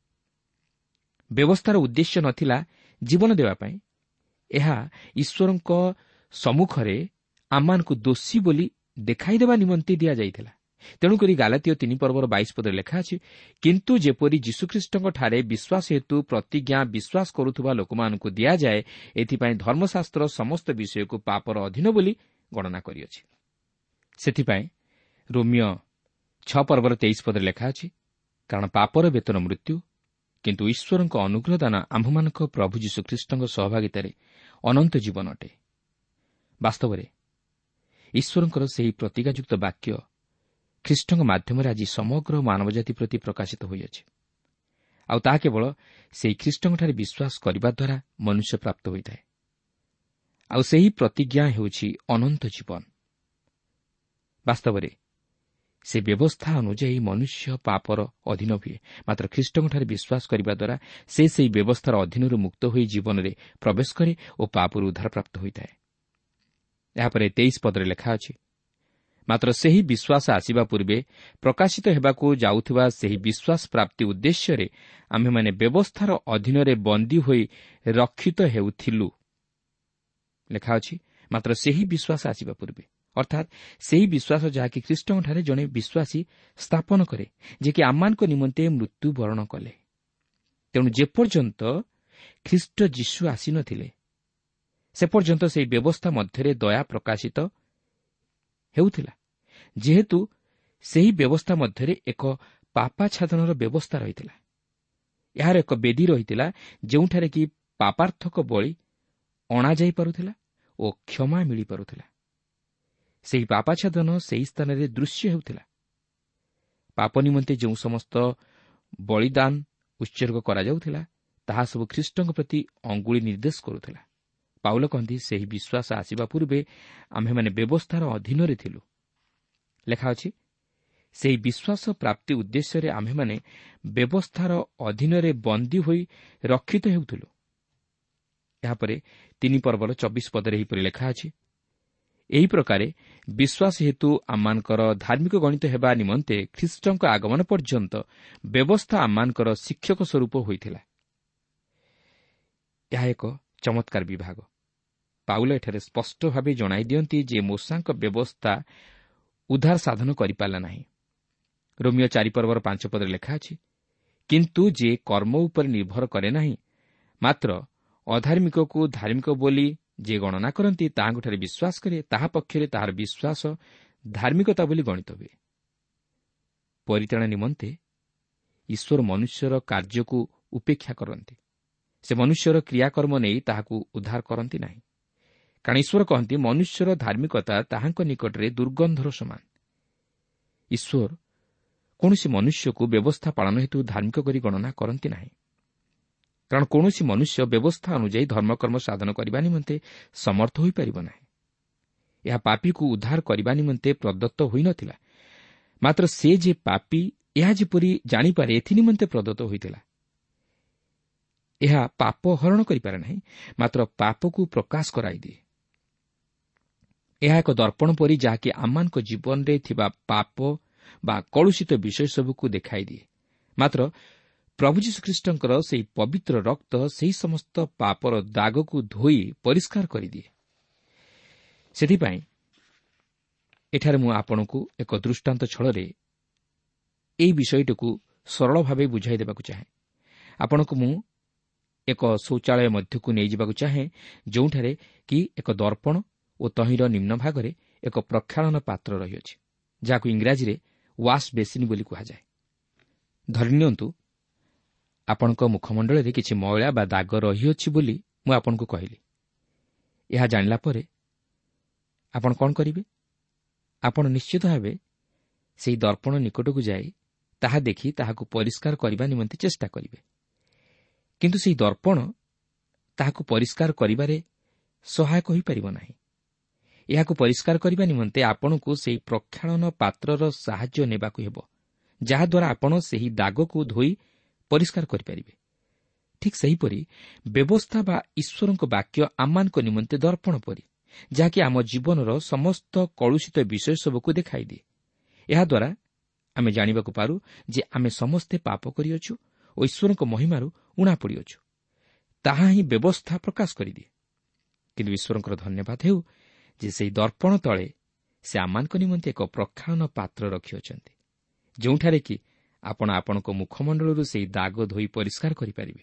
ବ୍ୟବସ୍ଥାର ଉଦ୍ଦେଶ୍ୟ ନଥିଲା ଜୀବନ ଦେବା ପାଇଁ। ଏହା ଈଶ୍ୱରଙ୍କ ସମ୍ମୁଖରେ ଆମମାନଙ୍କୁ ଦୋଷୀ ବୋଲି ଦେଖାଇଦେବା ନିମନ୍ତେ ଦିଆଯାଇଥିଲା। ତେଣୁକରି ଗାଲାତୀୟ ତିନି ପର୍ବର ବାଇଶ ପଦରେ ଲେଖା ଅଛି, କିନ୍ତୁ ଯେପରି ଯୀଶୁଖ୍ରୀଷ୍ଟଙ୍କଠାରେ ବିଶ୍ୱାସ ହେତୁ ପ୍ରତିଜ୍ଞା ବିଶ୍ୱାସ କରୁଥିବା ଲୋକମାନଙ୍କୁ ଦିଆଯାଏ, ଏଥିପାଇଁ ଧର୍ମଶାସ୍ତ୍ର ସମସ୍ତ ବିଷୟକୁ ପାପର ଅଧୀନ ବୋଲି ଗଣନା କରିଅଛି। ସେଥିପାଇଁ ରୋମୀୟ ଛଅ ପର୍ବର ତେଇଶ ପଦରେ ଲେଖା ଅଛି, କାରଣ ପାପର ବେତନ ମୃତ୍ୟୁ, କିନ୍ତୁ ଈଶ୍ୱରଙ୍କ ଅନୁଗ୍ରହ ଦାନ ଆମ୍ଭମାନଙ୍କ ପ୍ରଭୁ ଯୀଶୁଖ୍ରୀଷ୍ଟଙ୍କ ସହଭାଗିତାରେ ଅନନ୍ତ ଜୀବନ ଅଟେ। ବାସ୍ତବରେ ଈଶ୍ୱରଙ୍କର ସେହି ପ୍ରତିଜ୍ଞାଯୁକ୍ତ ବାକ୍ୟ ଖ୍ରୀଷ୍ଟଙ୍କ ମାଧ୍ୟମରେ ଆଜି ସମଗ୍ର ମାନବଜାତି ପ୍ରତି ପ୍ରକାଶିତ ହୋଇଅଛି। ଆଉ ତାହା କେବଳ ସେହି ଖ୍ରୀଷ୍ଟଙ୍କଠାରେ ବିଶ୍ୱାସ କରିବା ଦ୍ୱାରା ମନୁଷ୍ୟ ପ୍ରାପ୍ତ ହୋଇଥାଏ। ଆଉ ସେହି ପ୍ରତିଜ୍ଞା ହେଉଛି ଅନନ୍ତ ଜୀବନ। ବାସ୍ତବରେ ସେ ବ୍ୟବସ୍ଥା ଅନୁଯାୟୀ ମନୁଷ୍ୟ ପାପର ଅଧୀନ ହୁଏ, ମାତ୍ର ଖ୍ରୀଷ୍ଟଙ୍କଠାରେ ବିଶ୍ୱାସ କରିବା ଦ୍ୱାରା ସେ ସେହି ବ୍ୟବସ୍ଥାର ଅଧୀନରୁ ମୁକ୍ତ ହୋଇ ଜୀବନରେ ପ୍ରବେଶ କରେ ଓ ପାପରୁ ଉଦ୍ଧାରପ୍ରାପ୍ତ ହୋଇଥାଏ। ଏହାପରେ ତେଇଶ ପଦରେ ଲେଖା ଅଛି, ମାତ୍ର ସେହି ବିଶ୍ୱାସ ଆସିବା ପୂର୍ବେ ପ୍ରକାଶିତ ହେବାକୁ ଯାଉଥିବା ସେହି ବିଶ୍ୱାସ ପ୍ରାପ୍ତି ଉଦ୍ଦେଶ୍ୟରେ ଆମ୍ଭେମାନେ ବ୍ୟବସ୍ଥାର ଅଧୀନରେ ବନ୍ଦୀ ହୋଇ ରକ୍ଷିତ ହେଉଥିଲୁ। ଲେଖା ଅଛି, ମାତ୍ର ସେହି ବିଶ୍ୱାସ ଆସିବା ପୂର୍ବେ, ଅର୍ଥାତ୍ ସେହି ବିଶ୍ୱାସ ଯାହାକି ଖ୍ରୀଷ୍ଟଙ୍କଠାରେ ଜଣେ ବିଶ୍ୱାସୀ ସ୍ଥାପନ କରେ, ଯିଏକି ଆମମାନଙ୍କ ନିମନ୍ତେ ମୃତ୍ୟୁବରଣ କଲେ। ତେଣୁ ଯେପର୍ଯ୍ୟନ୍ତ ଖ୍ରୀଷ୍ଟ ଯୀଶୁ ଆସିନଥିଲେ ସେ ପର୍ଯ୍ୟନ୍ତ ସେହି ବ୍ୟବସ୍ଥା ମଧ୍ୟରେ ଦୟା ପ୍ରକାଶିତ ହେଉଥିଲା, ଯେହେତୁ ସେହି ବ୍ୟବସ୍ଥା ମଧ୍ୟରେ ଏକ ପାପାଚ୍ଛାଦନର ବ୍ୟବସ୍ଥା ରହିଥିଲା। ଏହାର ଏକ ବେଦୀ ରହିଥିଲା ଯେଉଁଠାରେ କି ପାପାର୍ଥକ ବଳି ଅଣାଯାଇପାରୁଥିଲା ଓ କ୍ଷମା ମିଳିପାରୁଥିଲା। ସେହି ପାପାଚ୍ଛାଦନ ସେହି ସ୍ଥାନରେ ଦୃଶ୍ୟ ହେଉଥିଲା। ପାପ ନିମନ୍ତେ ଯେଉଁ ସମସ୍ତ ବଳିଦାନ ଉତ୍ସର୍ଗ କରାଯାଉଥିଲା ତାହା ସବୁ ଖ୍ରୀଷ୍ଟଙ୍କ ପ୍ରତି ଅଙ୍ଗୁଳି ନିର୍ଦ୍ଦେଶ କରୁଥିଲା। ପାଉଲ କହନ୍ତି, ସେହି ବିଶ୍ୱାସ ଆସିବା ପୂର୍ବେ ଆମ୍ଭେମାନେ ବ୍ୟବସ୍ଥାର ଅଧୀନରେ ଥିଲୁ। ଲେଖା ଅଛି, ସେହି ବିଶ୍ୱାସ ପ୍ରାପ୍ତି ଉଦ୍ଦେଶ୍ୟରେ ଆମ୍ଭେମାନେ ବ୍ୟବସ୍ଥାର ଅଧୀନରେ ବନ୍ଦୀ ହୋଇ ରକ୍ଷିତ ହେଉଥିଲୁ। ଏହାପରେ ତିନି ପର୍ବର ଚବିଶ ପଦରେ ଏହିପରି ଲେଖା ଅଛି, ଏହି ପ୍ରକାରେ ବିଶ୍ୱାସ ହେତୁ ଆମମାନଙ୍କର ଧାର୍ମିକ ଗଣିତ ହେବା ନିମନ୍ତେ ଖ୍ରୀଷ୍ଟଙ୍କ ଆଗମନ ପର୍ଯ୍ୟନ୍ତ ବ୍ୟବସ୍ଥା ଆମମାନଙ୍କର ଶିକ୍ଷକ ସ୍ୱରୂପ ହୋଇଥିଲା। ଏହା ଏକ ଚମତ୍କାର ବିଭାଗ। ପାଉଲ ଏଠାରେ ସ୍ପଷ୍ଟ ଭାବେ ଜଣାଇ ଦିଅନ୍ତି ଯେ ମୋଶାଙ୍କ ବ୍ୟବସ୍ଥା ଉଦ୍ଧାର ସାଧନ କରିପାରିଲା ନାହିଁ। ରୋମୀୟ ଚାରି ପର୍ବର ପାଞ୍ଚ ପଦରେ ଲେଖା ଅଛି, କିନ୍ତୁ ଯେ କର୍ମ ଉପରେ ନିର୍ଭର କରେ ନାହିଁ, ମାତ୍ର ଅଧାର୍ମିକକୁ ଧାର୍ମିକ ବୋଲି ଯେ ଗଣନା କରନ୍ତି ତାହାଙ୍କଠାରେ ବିଶ୍ୱାସ କରେ, ତାହା ପକ୍ଷରେ ତାହାର ବିଶ୍ୱାସ ଧାର୍ମିକତା ବୋଲି ଗଣିତ ହୁଏ। ପରିତ୍ରାଣ ନିମନ୍ତେ ଈଶ୍ୱର ମନୁଷ୍ୟର କାର୍ଯ୍ୟକୁ ଉପେକ୍ଷା କରନ୍ତି। ସେ ମନୁଷ୍ୟର କ୍ରିୟାକର୍ମ ନେଇ ତାହାକୁ ଉଦ୍ଧାର କରନ୍ତି ନାହିଁ। କାରଣ ଈଶ୍ୱର କହନ୍ତି, ମନୁଷ୍ୟର ଧାର୍ମିକତା ତାହାଙ୍କ ନିକଟରେ ଦୁର୍ଗନ୍ଧର ସମାନ। ଈଶ୍ୱର କୌଣସି ମନୁଷ୍ୟକୁ ବ୍ୟବସ୍ଥା ପାଳନ ହେତୁ ଧାର୍ମିକ କରି ଗଣନା କରନ୍ତି ନାହିଁ। କାରଣ କୌଣସି ମନୁଷ୍ୟ ବ୍ୟବସ୍ଥା ଅନୁଯାୟୀ ଧର୍ମକର୍ମ ସାଧନ କରିବା ନିମନ୍ତେ ସମର୍ଥ ହୋଇପାରିବ ନାହିଁ। ଏହା ପାପୀକୁ ଉଦ୍ଧାର କରିବା ନିମନ୍ତେ ପ୍ରଦତ୍ତ ହୋଇନଥିଲା, ମାତ୍ର ସେ ଯେ ପାପୀ ଏହା ଯେପରି ଜାଣିପାରେ ଏଥିନିମନ୍ତେ ପ୍ରଦତ୍ତ ହୋଇଥିଲା। ଏହା ପାପ ହରଣ କରିପାରେ ନାହିଁ, ମାତ୍ର ପାପକୁ ପ୍ରକାଶ କରାଇଦିଏ। ଏହା ଏକ ଦର୍ପଣ ପରି ଯାହାକି ଆମମାନଙ୍କ ଜୀବନରେ ଥିବା ପାପ ବା କଳୁଷିତ ବିଷୟ ସବୁକୁ ଦେଖାଇଦିଏ। ମାତ୍ର ପ୍ରଭୁ ଯୀଶୁଖ୍ରୀଷ୍ଟଙ୍କର ସେହି ପବିତ୍ର ରକ୍ତ ସେହି ସମସ୍ତ ପାପର ଦାଗକୁ ଧୋଇ ପରିଷ୍କାର କରିଦିଏ। ସେଥିପାଇଁ ଏଠାରେ ମୁଁ ଆପଣଙ୍କୁ ଏକ ଦୃଷ୍ଟାନ୍ତ ଛଳରେ ଏହି ବିଷୟଟିକୁ ସରଳ ଭାବେ ବୁଝାଇ ଦେବାକୁ ଚାହେଁ। ଆପଣଙ୍କୁ ମୁଁ ଏକ ଶୌଚାଳୟ ମଧ୍ୟକୁ ନେଇଯିବାକୁ ଚାହେଁ, ଯେଉଁଠାରେ କି ଏକ ଦର୍ପଣ ଓ ତହିଁର ନିମ୍ନ ଭାଗରେ ଏକ ପ୍ରକ୍ଷାଳନ ପାତ୍ର ରହିଅଛି, ଯାହାକୁ ଇଂରାଜୀରେ ୱାଶ୍ ବେସିନ୍ ବୋଲି କୁହାଯାଏ। ଧରିନିଅନ୍ତୁ ଆପଣଙ୍କ ମୁଖମଣ୍ଡଳରେ କିଛି ମଇଳା ବା ଦାଗ ରହିଅଛି ବୋଲି ମୁଁ ଆପଣଙ୍କୁ କହିଲି। ଏହା ଜାଣିଲା ପରେ ଆପଣ କ'ଣ କରିବେ? ଆପଣ ନିଶ୍ଚିତ ଭାବେ ସେହି ଦର୍ପଣ ନିକଟକୁ ଯାଇ ତାହା ଦେଖି ତାହାକୁ ପରିଷ୍କାର କରିବା ନିମନ୍ତେ ଚେଷ୍ଟା କରିବେ। କିନ୍ତୁ ସେହି ଦର୍ପଣ ତାହାକୁ ପରିଷ୍କାର କରିବାରେ ସହାୟକ ହୋଇପାରିବ ନାହିଁ। ଏହାକୁ ପରିଷ୍କାର କରିବା ନିମନ୍ତେ ଆପଣଙ୍କୁ ସେହି ପ୍ରକ୍ଷାଳନ ପାତ୍ରର ସାହାଯ୍ୟ ନେବାକୁ ହେବ, ଯାହାଦ୍ୱାରା ଆପଣ ସେହି ଦାଗକୁ ଧୋଇ ପରିଷ୍କାର କରିପାରିବେ। ଠିକ୍ ସେହିପରି ବ୍ୟବସ୍ଥା ବା ଈଶ୍ୱରଙ୍କ ବାକ୍ୟ ଆମମାନଙ୍କ ନିମନ୍ତେ ଦର୍ପଣ ପରି, ଯାହାକି ଆମ ଜୀବନର ସମସ୍ତ କଳୁଷିତ ବିଷୟ ସବୁକୁ ଦେଖାଇଦିଏ। ଏହାଦ୍ୱାରା ଆମେ ଜାଣିବାକୁ ପାରୁ ଯେ ଆମେ ସମସ୍ତେ ପାପ କରିଅଛୁ ଓ ଈଶ୍ୱରଙ୍କ ମହିମାରୁ ଊଣା ପଡ଼ିଅଛୁ। ତାହା ହିଁ ବ୍ୟବସ୍ଥା ପ୍ରକାଶ କରିଦିଏ। କିନ୍ତୁ ଈଶ୍ୱରଙ୍କର ଧନ୍ୟବାଦ ହେଉ ଯେ ସେହି ଦର୍ପଣ ତଳେ ସେ ଆମମାନଙ୍କ ନିମନ୍ତେ ଏକ ପ୍ରକ୍ଷାଳନ ପାତ୍ର ରଖିଅଛନ୍ତି, ଯେଉଁଠାରେ କି ଆପଣ ଆପଣଙ୍କ ମୁଖମଣ୍ଡଳରୁ ସେହି ଦାଗ ଧୋଇ ପରିଷ୍କାର କରିପାରିବେ।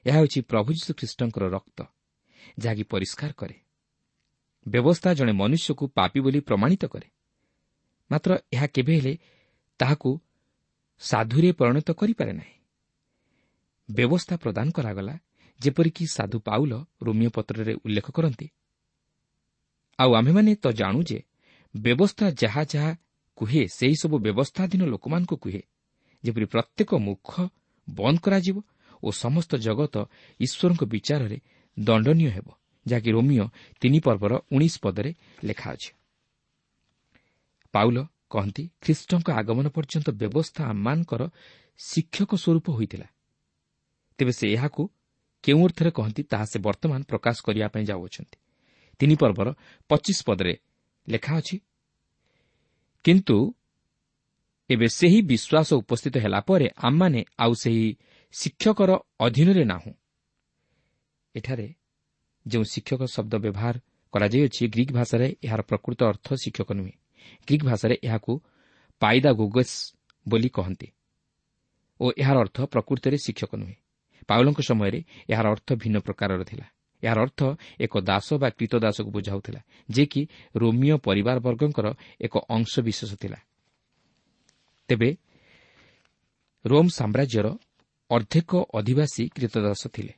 ଏହା ହେଉଛି ପ୍ରଭୁ ଯୀଶୁଖ୍ରୀଷ୍ଟଙ୍କର ରକ୍ତ, ଯାହାକି ପରିଷ୍କାର କରେ। ବ୍ୟବସ୍ଥା ଜଣେ ମନୁଷ୍ୟକୁ ପାପୀ ବୋଲି ପ୍ରମାଣିତ କରେ, ମାତ୍ର ଏହା କେବେ ହେଲେ ତାହାକୁ ସାଧୁରେ ପରିଣତ କରିପାରେ ନାହିଁ। ବ୍ୟବସ୍ଥା ପ୍ରଦାନ କରାଗଲା, ଯେପରିକି ସାଧୁ ପାଉଲ ରୋମୀୟ ପତ୍ରରେ ଉଲ୍ଲେଖ କରନ୍ତି, ଆଉ ଆମ୍ଭେମାନେ ତ ଜାଣୁ ଯେ ବ୍ୟବସ୍ଥା ଯାହା ଯାହା କୁହେ ସେହିସବୁ ବ୍ୟବସ୍ଥାଧୀନ ଲୋକମାନଙ୍କୁ କୁହେ, ଯେପରି ପ୍ରତ୍ୟେକ ମୁଖ ବନ୍ଦ କରାଯିବ ଓ ସମସ୍ତ ଜଗତ ଈଶ୍ୱରଙ୍କ ବିଚାରରେ ଦଣ୍ଡନୀୟ ହେବ, ଯାହାକି ରୋମୀୟ ତିନି ପର୍ବର ଉଣେଇଶ ପଦରେ ଲେଖା ଅଛି। ପାଉଲ କହନ୍ତି, ଖ୍ରୀଷ୍ଟଙ୍କ ଆଗମନ ପର୍ଯ୍ୟନ୍ତ ବ୍ୟବସ୍ଥା ଆମମାନଙ୍କର ଶିକ୍ଷକ ସ୍ୱରୂପ ହୋଇଥିଲା। ତେବେ ସେ ଏହାକୁ କେଉଁ ଅର୍ଥରେ କହନ୍ତି ତାହା ସେ ବର୍ତ୍ତମାନ ପ୍ରକାଶ କରିବା ପାଇଁ ଯାଉଅଛନ୍ତି। ତିନି ପର୍ବର ପଚିଶ ପଦରେ ଲେଖା ଅଛି, କିନ୍ତୁ ଏବେ ସେହି ବିଶ୍ୱାସ ଉପସ୍ଥିତ ହେଲା ପରେ ଆମମାନେ ଆଉ ସେହି ଶିକ୍ଷକର ଅଧୀନରେ ନାହୁଁ। ଏଠାରେ ଯେଉଁ ଶିକ୍ଷକ ଶବ୍ଦ ବ୍ୟବହାର କରାଯାଇଅଛି, ଗ୍ରୀକ୍ ଭାଷାରେ ଏହାର ପ୍ରକୃତ ଅର୍ଥ ଶିକ୍ଷକ ନୁହେଁ। ଗ୍ରୀକ୍ ଭାଷାରେ ଏହାକୁ ପାଇଦାଗୋଗସ୍ ବୋଲି କହନ୍ତି ଓ ଏହାର ଅର୍ଥ ପ୍ରକୃତରେ ଶିକ୍ଷକ ନୁହେଁ। ପାଉଲଙ୍କ ସମୟରେ ଏହାର ଅର୍ଥ ଭିନ୍ନ ପ୍ରକାରର ଥିଲା। ଏହାର ଅର୍ଥ ଏକ ଦାସ ବା କ୍ରୀତଦାସକୁ ବୁଝାଉଥିଲା, ଯିଏକି ରୋମୀୟ ପରିବାରବର୍ଗଙ୍କର ଏକ ଅଂଶବିଶେଷ ଥିଲା। ତେବେ ରୋମ୍ ସାମ୍ରାଜ୍ୟର ଅର୍ଦ୍ଧେକ ଅଧିବାସୀ କ୍ରୀତଦାସ ଥିଲେ।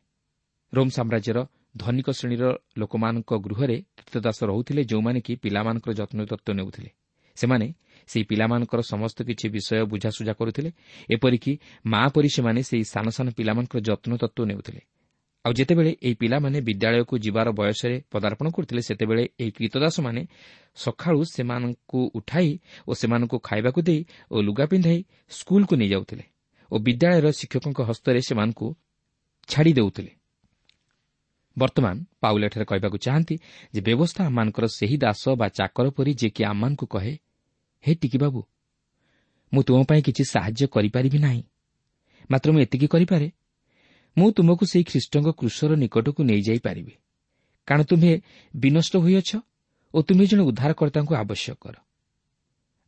ରୋମ୍ ସାମ୍ରାଜ୍ୟର ଧନିକ ଶ୍ରେଣୀର ଲୋକମାନଙ୍କ ଗୃହରେ କ୍ରୀତଦାସ ରହୁଥିଲେ, ଯେଉଁମାନେ କି ପିଲାମାନଙ୍କର ଯତ୍ନତତ୍ତ୍ୱ ନେଉଥିଲେ। ସେମାନେ ସେହି ପିଲାମାନଙ୍କର ସମସ୍ତ କିଛି ବିଷୟ ବୁଝାସୁଝା କରୁଥିଲେ। ଏପରିକି ମା ପରି ସେମାନେ ସେହି ସାନ ସାନ ପିଲାମାନଙ୍କର ଯତ୍ନତତ୍ତ୍ୱ ନେଉଥିଲେ। ଆଉ ଯେତେବେଳେ ଏହି ପିଲାମାନେ ବିଦ୍ୟାଳୟକୁ ଯିବାର ବୟସରେ ପଦାର୍ପଣ କରୁଥିଲେ, ସେତେବେଳେ ଏହି କ୍ରୀତଦାସମାନେ ସକାଳୁ ସେମାନଙ୍କୁ ଉଠାଇ ଓ ସେମାନଙ୍କୁ ଖାଇବାକୁ ଦେଇ ଓ ଲୁଗା ପିନ୍ଧାଇ ସ୍କୁଲକୁ ନେଇଯାଉଥିଲେ ଓ ବିଦ୍ୟାଳୟର ଶିକ୍ଷକଙ୍କ ହସ୍ତରେ ସେମାନଙ୍କୁ ଛାଡ଼ି ଦେଉଥିଲେ। ବର୍ତ୍ତମାନ ପାଉଲ ଏଠାରେ କହିବାକୁ ଚାହାନ୍ତି ଯେ ବ୍ୟବସ୍ଥା ଆମମାନଙ୍କର ସେହି ଦାସ ବା ଚାକର ପରି, ଯିଏକି ଆମମାନଙ୍କୁ କହେ, ହେ ଟିକିବାବୁ, ମୁଁ ତୁମ ପାଇଁ କିଛି ସାହାଯ୍ୟ କରିପାରିବି ନାହିଁ, ମାତ୍ର ମୁଁ ଏତିକି କରିପାରେ, ମୁଁ ତୁମକୁ ସେହି ଖ୍ରୀଷ୍ଟଙ୍କ କ୍ରୁଶର ନିକଟକୁ ନେଇଯାଇପାରିବି, କାରଣ ତୁମ୍ଭେ ବିନଷ୍ଟ ହୋଇଅଛ ଓ ତୁମ୍ଭେ ଜଣେ ଉଦ୍ଧାରକର୍ତ୍ତାଙ୍କୁ ଆବଶ୍ୟକ କର।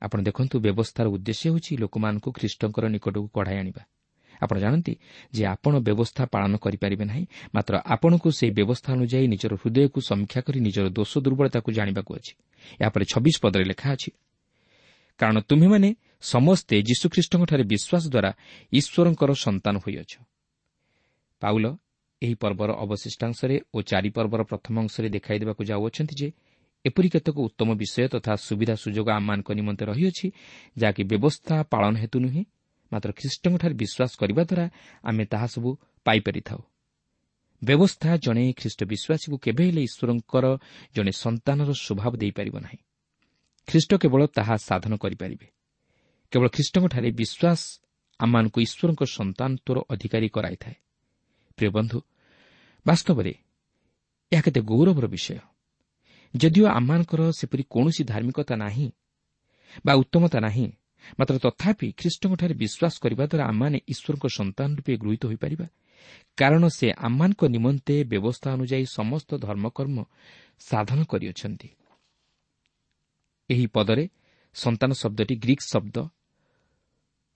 ଆପଣ ଦେଖନ୍ତୁ, ବ୍ୟବସ୍ଥାର ଉଦ୍ଦେଶ୍ୟ ହେଉଛି ଲୋକମାନଙ୍କୁ ଖ୍ରୀଷ୍ଟଙ୍କର ନିକଟକୁ କଢ଼ାଇ ଆଣିବା। ଆପଣ ଜାଣନ୍ତି ଯେ ଆପଣ ବ୍ୟବସ୍ଥା ପାଳନ କରିପାରିବେ ନାହିଁ, ମାତ୍ର ଆପଣଙ୍କୁ ସେହି ବ୍ୟବସ୍ଥା ଅନୁଯାୟୀ ନିଜର ହୃଦୟକୁ ସମୀକ୍ଷା କରି ନିଜର ଦୋଷ ଦୁର୍ବଳତାକୁ ଜାଣିବାକୁ ଅଛି। ଏହାପରେ ଛବିଶ ପଦରେ ଲେଖା ଅଛି, କାରଣ ତୁମ୍ଭେମାନେ ସମସ୍ତେ ଯୀଶୁଖ୍ରୀଷ୍ଟଙ୍କଠାରେ ବିଶ୍ୱାସ ଦ୍ୱାରା ଈଶ୍ୱରଙ୍କର ସନ୍ତାନ ହୋଇଅଛ। ପାଉଲ ଏହି ପର୍ବର ଅବଶିଷ୍ଟାଂଶରେ ଓ ଚାରି ପର୍ବର ପ୍ରଥମ ଅଂଶରେ ଦେଖାଇ ଦେବାକୁ ଯାଉଅଛନ୍ତି ଯେ ଏପରି କେତେକ ଉତ୍ତମ ବିଷୟ ତଥା ସୁବିଧା ସୁଯୋଗ ଆମମାନଙ୍କ ନିମନ୍ତେ ରହିଅଛି, ଯାହାକି ବ୍ୟବସ୍ଥା ପାଳନ ହେତୁ ନୁହେଁ, ମାତ୍ର ଖ୍ରୀଷ୍ଟଙ୍କଠାରେ ବିଶ୍ୱାସ କରିବା ଦ୍ୱାରା ଆମେ ତାହା ସବୁ ପାଇପାରିଥାଉ। ବ୍ୟବସ୍ଥା ଜଣେ ଖ୍ରୀଷ୍ଟ ବିଶ୍ୱାସୀକୁ କେବେ ହେଲେ ଈଶ୍ୱରଙ୍କର ଜଣେ ସନ୍ତାନର ସ୍ୱଭାବ ଦେଇପାରିବ ନାହିଁ। ଖ୍ରୀଷ୍ଟ କେବଳ ତାହା ସାଧନ କରିପାରିବେ। କେବଳ ଖ୍ରୀଷ୍ଟଙ୍କଠାରେ ବିଶ୍ୱାସ ଆମମାନଙ୍କୁ ଈଶ୍ୱରଙ୍କ ସନ୍ତାନତ୍ୱର ଅଧିକାରୀ କରାଇଥାଏ। ପ୍ରିୟ ବନ୍ଧୁ, ବାସ୍ତବରେ ଏହା କେତେ ଗୌରବର ବିଷୟ। ଯଦିଓ ଆମମାନଙ୍କର ସେପରି କୌଣସି ଧାର୍ମିକତା ନାହିଁ ବା ଉତ୍ତମତା ନାହିଁ, ମାତ୍ର ତଥାପି ଖ୍ରୀଷ୍ଟଙ୍କଠାରେ ବିଶ୍ୱାସ କରିବା ଦ୍ୱାରା ଆମମାନେ ଈଶ୍ୱରଙ୍କ ସନ୍ତାନ ରୂପେ ଗୃହୀତ ହୋଇପାରିବା, କାରଣ ସେ ଆମମାନଙ୍କ ନିମନ୍ତେ ବ୍ୟବସ୍ଥା ଅନୁଯାୟୀ ସମସ୍ତ ଧର୍ମକର୍ମ ସାଧନ କରିଅଛନ୍ତି। ଏହି ପଦରେ ସନ୍ତାନ ଶବ୍ଦଟି ଗ୍ରୀକ୍ ଶବ୍ଦ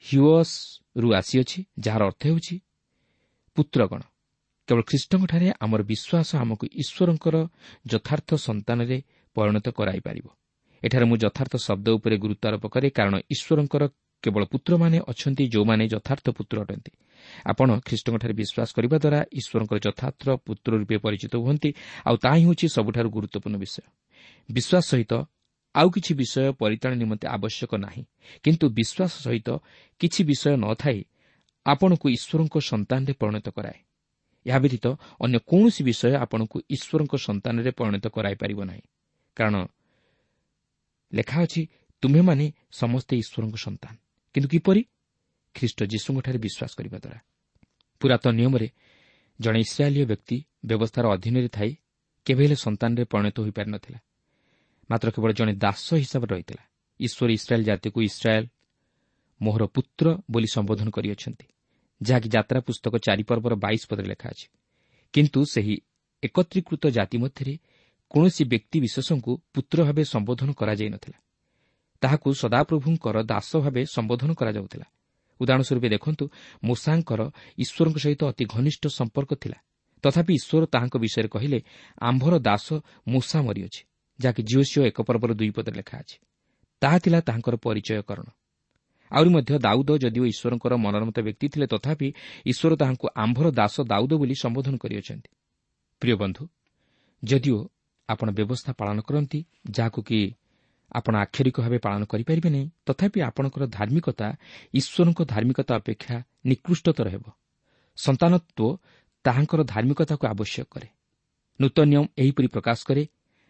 ହ୍ୟୁଅସ୍ରୁ ଆସିଅଛି, ଯାହାର ଅର୍ଥ ହେଉଛି ପୁତ୍ରଗଣ। କେବଳ ଖ୍ରୀଷ୍ଟଙ୍କଠାରେ ଆମର ବିଶ୍ୱାସ ଆମକୁ ଈଶ୍ୱରଙ୍କର ଯଥାର୍ଥ ସନ୍ତାନରେ ପରିଣତ କରାଇପାରିବ। ଏଠାରେ ମୁଁ ଯଥାର୍ଥ ଶବ୍ଦ ଉପରେ ଗୁରୁତ୍ୱ ଆରୋପ କରେ, କାରଣ ଈଶ୍ୱରଙ୍କର କେବଳ ପୁତ୍ରମାନେ ଅଛନ୍ତି ଯେଉଁମାନେ ଯଥାର୍ଥ ପୁତ୍ର ଅଟନ୍ତି। ଆପଣ ଖ୍ରୀଷ୍ଟଙ୍କଠାରେ ବିଶ୍ୱାସ କରିବା ଦ୍ୱାରା ଈଶ୍ୱରଙ୍କର ଯଥାର୍ଥ ପୁତ୍ର ରୂପେ ପରିଚିତ ହୁଅନ୍ତି, ଆଉ ତାହା ହିଁ ହେଉଛି ସବୁଠାରୁ ଗୁରୁତ୍ୱପୂର୍ଣ୍ଣ ବିଷୟ। ବିଶ୍ୱାସ ସହିତ ଆଉ କିଛି ବିଷୟ ପରିତ୍ରାଣ ନିମନ୍ତେ ଆବଶ୍ୟକ ନାହିଁ, କିନ୍ତୁ ବିଶ୍ୱାସ ସହିତ କିଛି ବିଷୟ ନଥାଇ ଆପଣଙ୍କୁ ଈଶ୍ୱରଙ୍କ ସନ୍ତାନରେ ପରିଣତ କରାଏ। ଏହା ବ୍ୟତୀତ ଅନ୍ୟ କୌଣସି ବିଷୟ ଆପଣଙ୍କୁ ଈଶ୍ୱରଙ୍କ ସନ୍ତାନରେ ପରିଣତ କରାଇପାରିବ ନାହିଁ, କାରଣ ଲେଖା ଅଛି, ତୁମ୍ଭେମାନେ ସମସ୍ତେ ଈଶ୍ୱରଙ୍କ ସନ୍ତାନ। କିନ୍ତୁ କିପରି? ଖ୍ରୀଷ୍ଟ ଯୀଶୁଙ୍କଠାରେ ବିଶ୍ୱାସ କରିବା ଦ୍ୱାରା। ପୁରାତନ ନିୟମରେ ଜଣେ ଇସ୍ରାଏଲୀୟ ବ୍ୟକ୍ତି ବ୍ୟବସ୍ଥାର ଅଧୀନରେ ଥାଇ କେବେ ହେଲେ ସନ୍ତାନରେ ପରିଣତ ହୋଇପାରିନଥିଲା, ମାତ୍ର କେବଳ ଜଣେ ଦାସ ହିସାବରେ ରହିଥିଲା। ଈଶ୍ୱର ଇସ୍ରାଏଲ୍ ଜାତିକୁ ଇସ୍ରାଏଲ୍ ମୋହର ପୁତ୍ର ବୋଲି ସମ୍ବୋଧନ କରିଅଛନ୍ତି, ଯାହାକି ଯାତ୍ରା ପୁସ୍ତକ ଚାରି ପର୍ବର ବାଇଶ ପଦରେ ଲେଖା ଅଛି। କିନ୍ତୁ ସେହି ଏକତ୍ରୀକୃତ ଜାତି ମଧ୍ୟରେ କୌଣସି ବ୍ୟକ୍ତିବିଶେଷଙ୍କୁ ପୁତ୍ର ଭାବେ ସମ୍ବୋଧନ କରାଯାଇନଥିଲା, ତାହାକୁ ସଦାପ୍ରଭୁଙ୍କର ଦାସ ଭାବେ ସମ୍ବୋଧନ କରାଯାଉଥିଲା। ଉଦାହରଣ ସ୍ୱରୂପ ଦେଖନ୍ତୁ, ମୋଶାଙ୍କର ଈଶ୍ୱରଙ୍କ ସହିତ ଅତି ଘନିଷ୍ଠ ସମ୍ପର୍କ ଥିଲା, ତଥାପି ଈଶ୍ୱର ତାହାଙ୍କ ବିଷୟରେ କହିଲେ, ଆମ୍ଭର ଦାସ ମୋଶା ମରିଅଛି, ଯାହାକି ଯିହୋଶୂୟ ଏକ ପର୍ବର ଦୁଇ ପଦରେ ଲେଖା ଅଛି। ତାହା ଥିଲା ତାହାଙ୍କର ପରିଚୟକରଣ। ଆହୁରି ମଧ୍ୟ ଦାଉଦ ଯଦିଓ ଈଶ୍ୱରଙ୍କର ମନୋନୀତ ବ୍ୟକ୍ତି ଥିଲେ, ତଥାପି ଈଶ୍ୱର ତାହାଙ୍କୁ ଆମ୍ଭର ଦାସ ଦାଉଦ ବୋଲି ସମ୍ବୋଧନ କରିଅଛନ୍ତି। ପ୍ରିୟ ବନ୍ଧୁ, ଯଦିଓ ଆପଣ ବ୍ୟବସ୍ଥା ପାଳନ କରନ୍ତି, ଯାହାକୁ କି ଆପଣ ଆକ୍ଷରିକ ଭାବେ ପାଳନ କରିପାରିବେ ନାହିଁ, ତଥାପି ଆପଣଙ୍କର ଧାର୍ମିକତା ଈଶ୍ୱରଙ୍କ ଧାର୍ମିକତା ଅପେକ୍ଷା ନିକୃଷ୍ଟତର ହେବ। ସନ୍ତାନତ୍ୱ ତାହାଙ୍କର ଧାର୍ମିକତାକୁ ଆବଶ୍ୟକ କରେ। ନୂତନ ନିୟମ ଏହିପରି ପ୍ରକାଶ କରେ,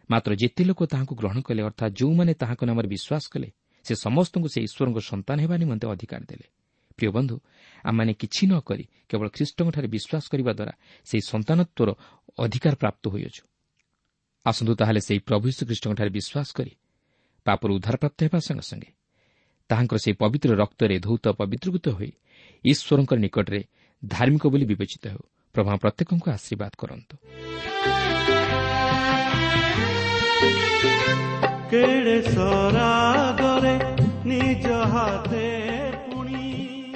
ମାତ୍ର ଯେତେ ଲୋକ ତାହାଙ୍କୁ ଗ୍ରହଣ କଲେ, ଅର୍ଥାତ୍ ଯେଉଁମାନେ ତାହାଙ୍କ ନାମରେ ବିଶ୍ୱାସ କଲେ, ସେ ସମସ୍ତଙ୍କୁ ସେ ଈଶ୍ୱରଙ୍କ ସନ୍ତାନ ହେବା ନିମନ୍ତେ ଅଧିକାର ଦେଲେ। ପ୍ରିୟ ବନ୍ଧୁ, ଆମମାନେ କିଛି ନ କରି କେବଳ ଖ୍ରୀଷ୍ଟଙ୍କଠାରେ ବିଶ୍ୱାସ କରିବା ଦ୍ୱାରା ସେହି ସନ୍ତାନତ୍ୱର ଅଧିକାର ପ୍ରାପ୍ତ ହୋଇଅଛୁ। ଆସନ୍ତୁ ତାହେଲେ ସେହି ପ୍ରଭୁ ଯୀଶୁଖ୍ରୀଷ୍ଟଙ୍କଠାରେ ବିଶ୍ୱାସ କରି ପାପରୁ ଉଦ୍ଧାରପ୍ରାପ୍ତ ହେବା ସଙ୍ଗେ ସଙ୍ଗେ ତାହାଙ୍କର ସେହି ପବିତ୍ର ରକ୍ତରେ ଧୌତ ପବିତ୍ରୀକୃତ ହୋଇ ଈଶ୍ୱରଙ୍କ ନିକଟରେ ଧାର୍ମିକ ବୋଲି ବିବେଚିତ ହେଉ। ପ୍ରଭୁ ପ୍ରତ୍ୟେକଙ୍କୁ ଆଶୀର୍ବାଦ କରନ୍ତୁ।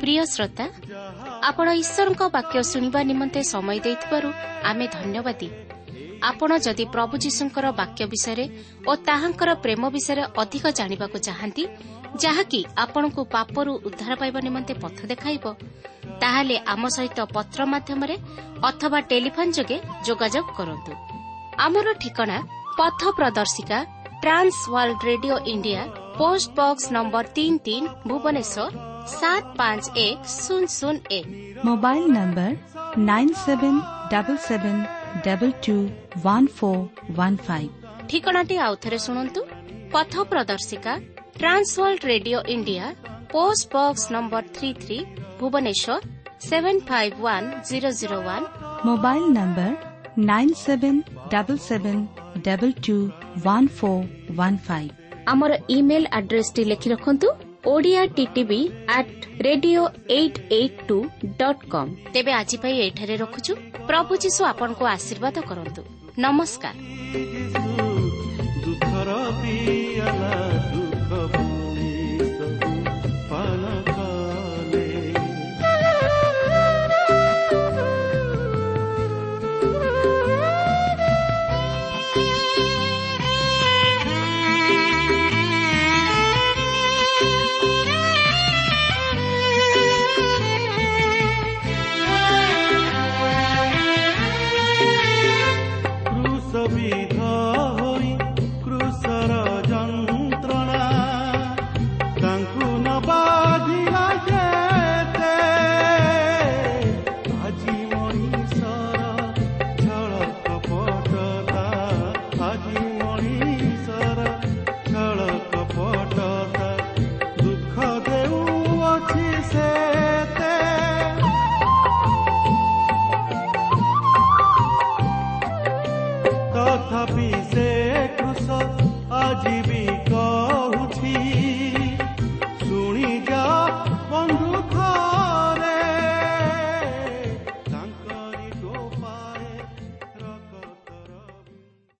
ପ୍ରିୟ ଶ୍ରୋତା, ଆପଣ ଈଶ୍ୱରଙ୍କ ବାକ୍ୟ ଶୁଣିବା ନିମନ୍ତେ ସମୟ ଦେଇଥିବାରୁ ଆମେ ଧନ୍ୟବାଦୀ। ଆପଣ ଯଦି ପ୍ରଭୁ ଯୀଶୁଙ୍କର ବାକ୍ୟ ବିଷୟରେ ଓ ତାହାଙ୍କର ପ୍ରେମ ବିଷୟରେ ଅଧିକ ଜାଣିବାକୁ ଚାହାନ୍ତି, ଯାହାକି ଆପଣଙ୍କୁ ପାପରୁ ଉଦ୍ଧାର ପାଇବା ନିମନ୍ତେ ପଥ ଦେଖାଇବ, ତାହେଲେ ଆମ ସହିତ ପତ୍ର ମାଧ୍ୟମରେ ଅଥବା ଟେଲିଫୋନ୍ ଯୋଗେ ଯୋଗାଯୋଗ କରନ୍ତୁ। ଆମର ଠିକଣା ପଥ ପ୍ରଦର୍ଶିକା, Trans World Radio India, post box number ତିନି ତିନି, ଭୁବନେଶ୍ୱର ସାତ ପାଞ୍ଚ ଏକ ଶୂନ ଶୂନ ଏକ। Mobile number nine seven double seven double two one four one five. ଠିକଣାଟି ଆଉଥରେ ଶୁଣନ୍ତୁ। ପଥ ପ୍ରଦର୍ଶିକା, Trans World Radio India, post box number three three, Bhubaneswar seven five one zero zero one. Mobile number nine seven double seven double two one four one five. ଆମର email ଆଡ୍ରେସଟି ଲେଖି ରଖନ୍ତୁ, Odia TTV at radio eight eight two dot com. ତେବେ ଆଜି ପାଇଁ ଏଠାରେ ରଖୁଛୁ। ପ୍ରଭୁ ଯୀଶୁ ଆପଣଙ୍କୁ ଆଶୀର୍ବାଦ କରନ୍ତୁ। ନମସ୍କାର। ଦୁଃଖର ପିଆଲା ଦୁଃଖ ଭୁଲି ସବୁ ପାନ କଲେ। କ୍ରୁଶ ବିଧ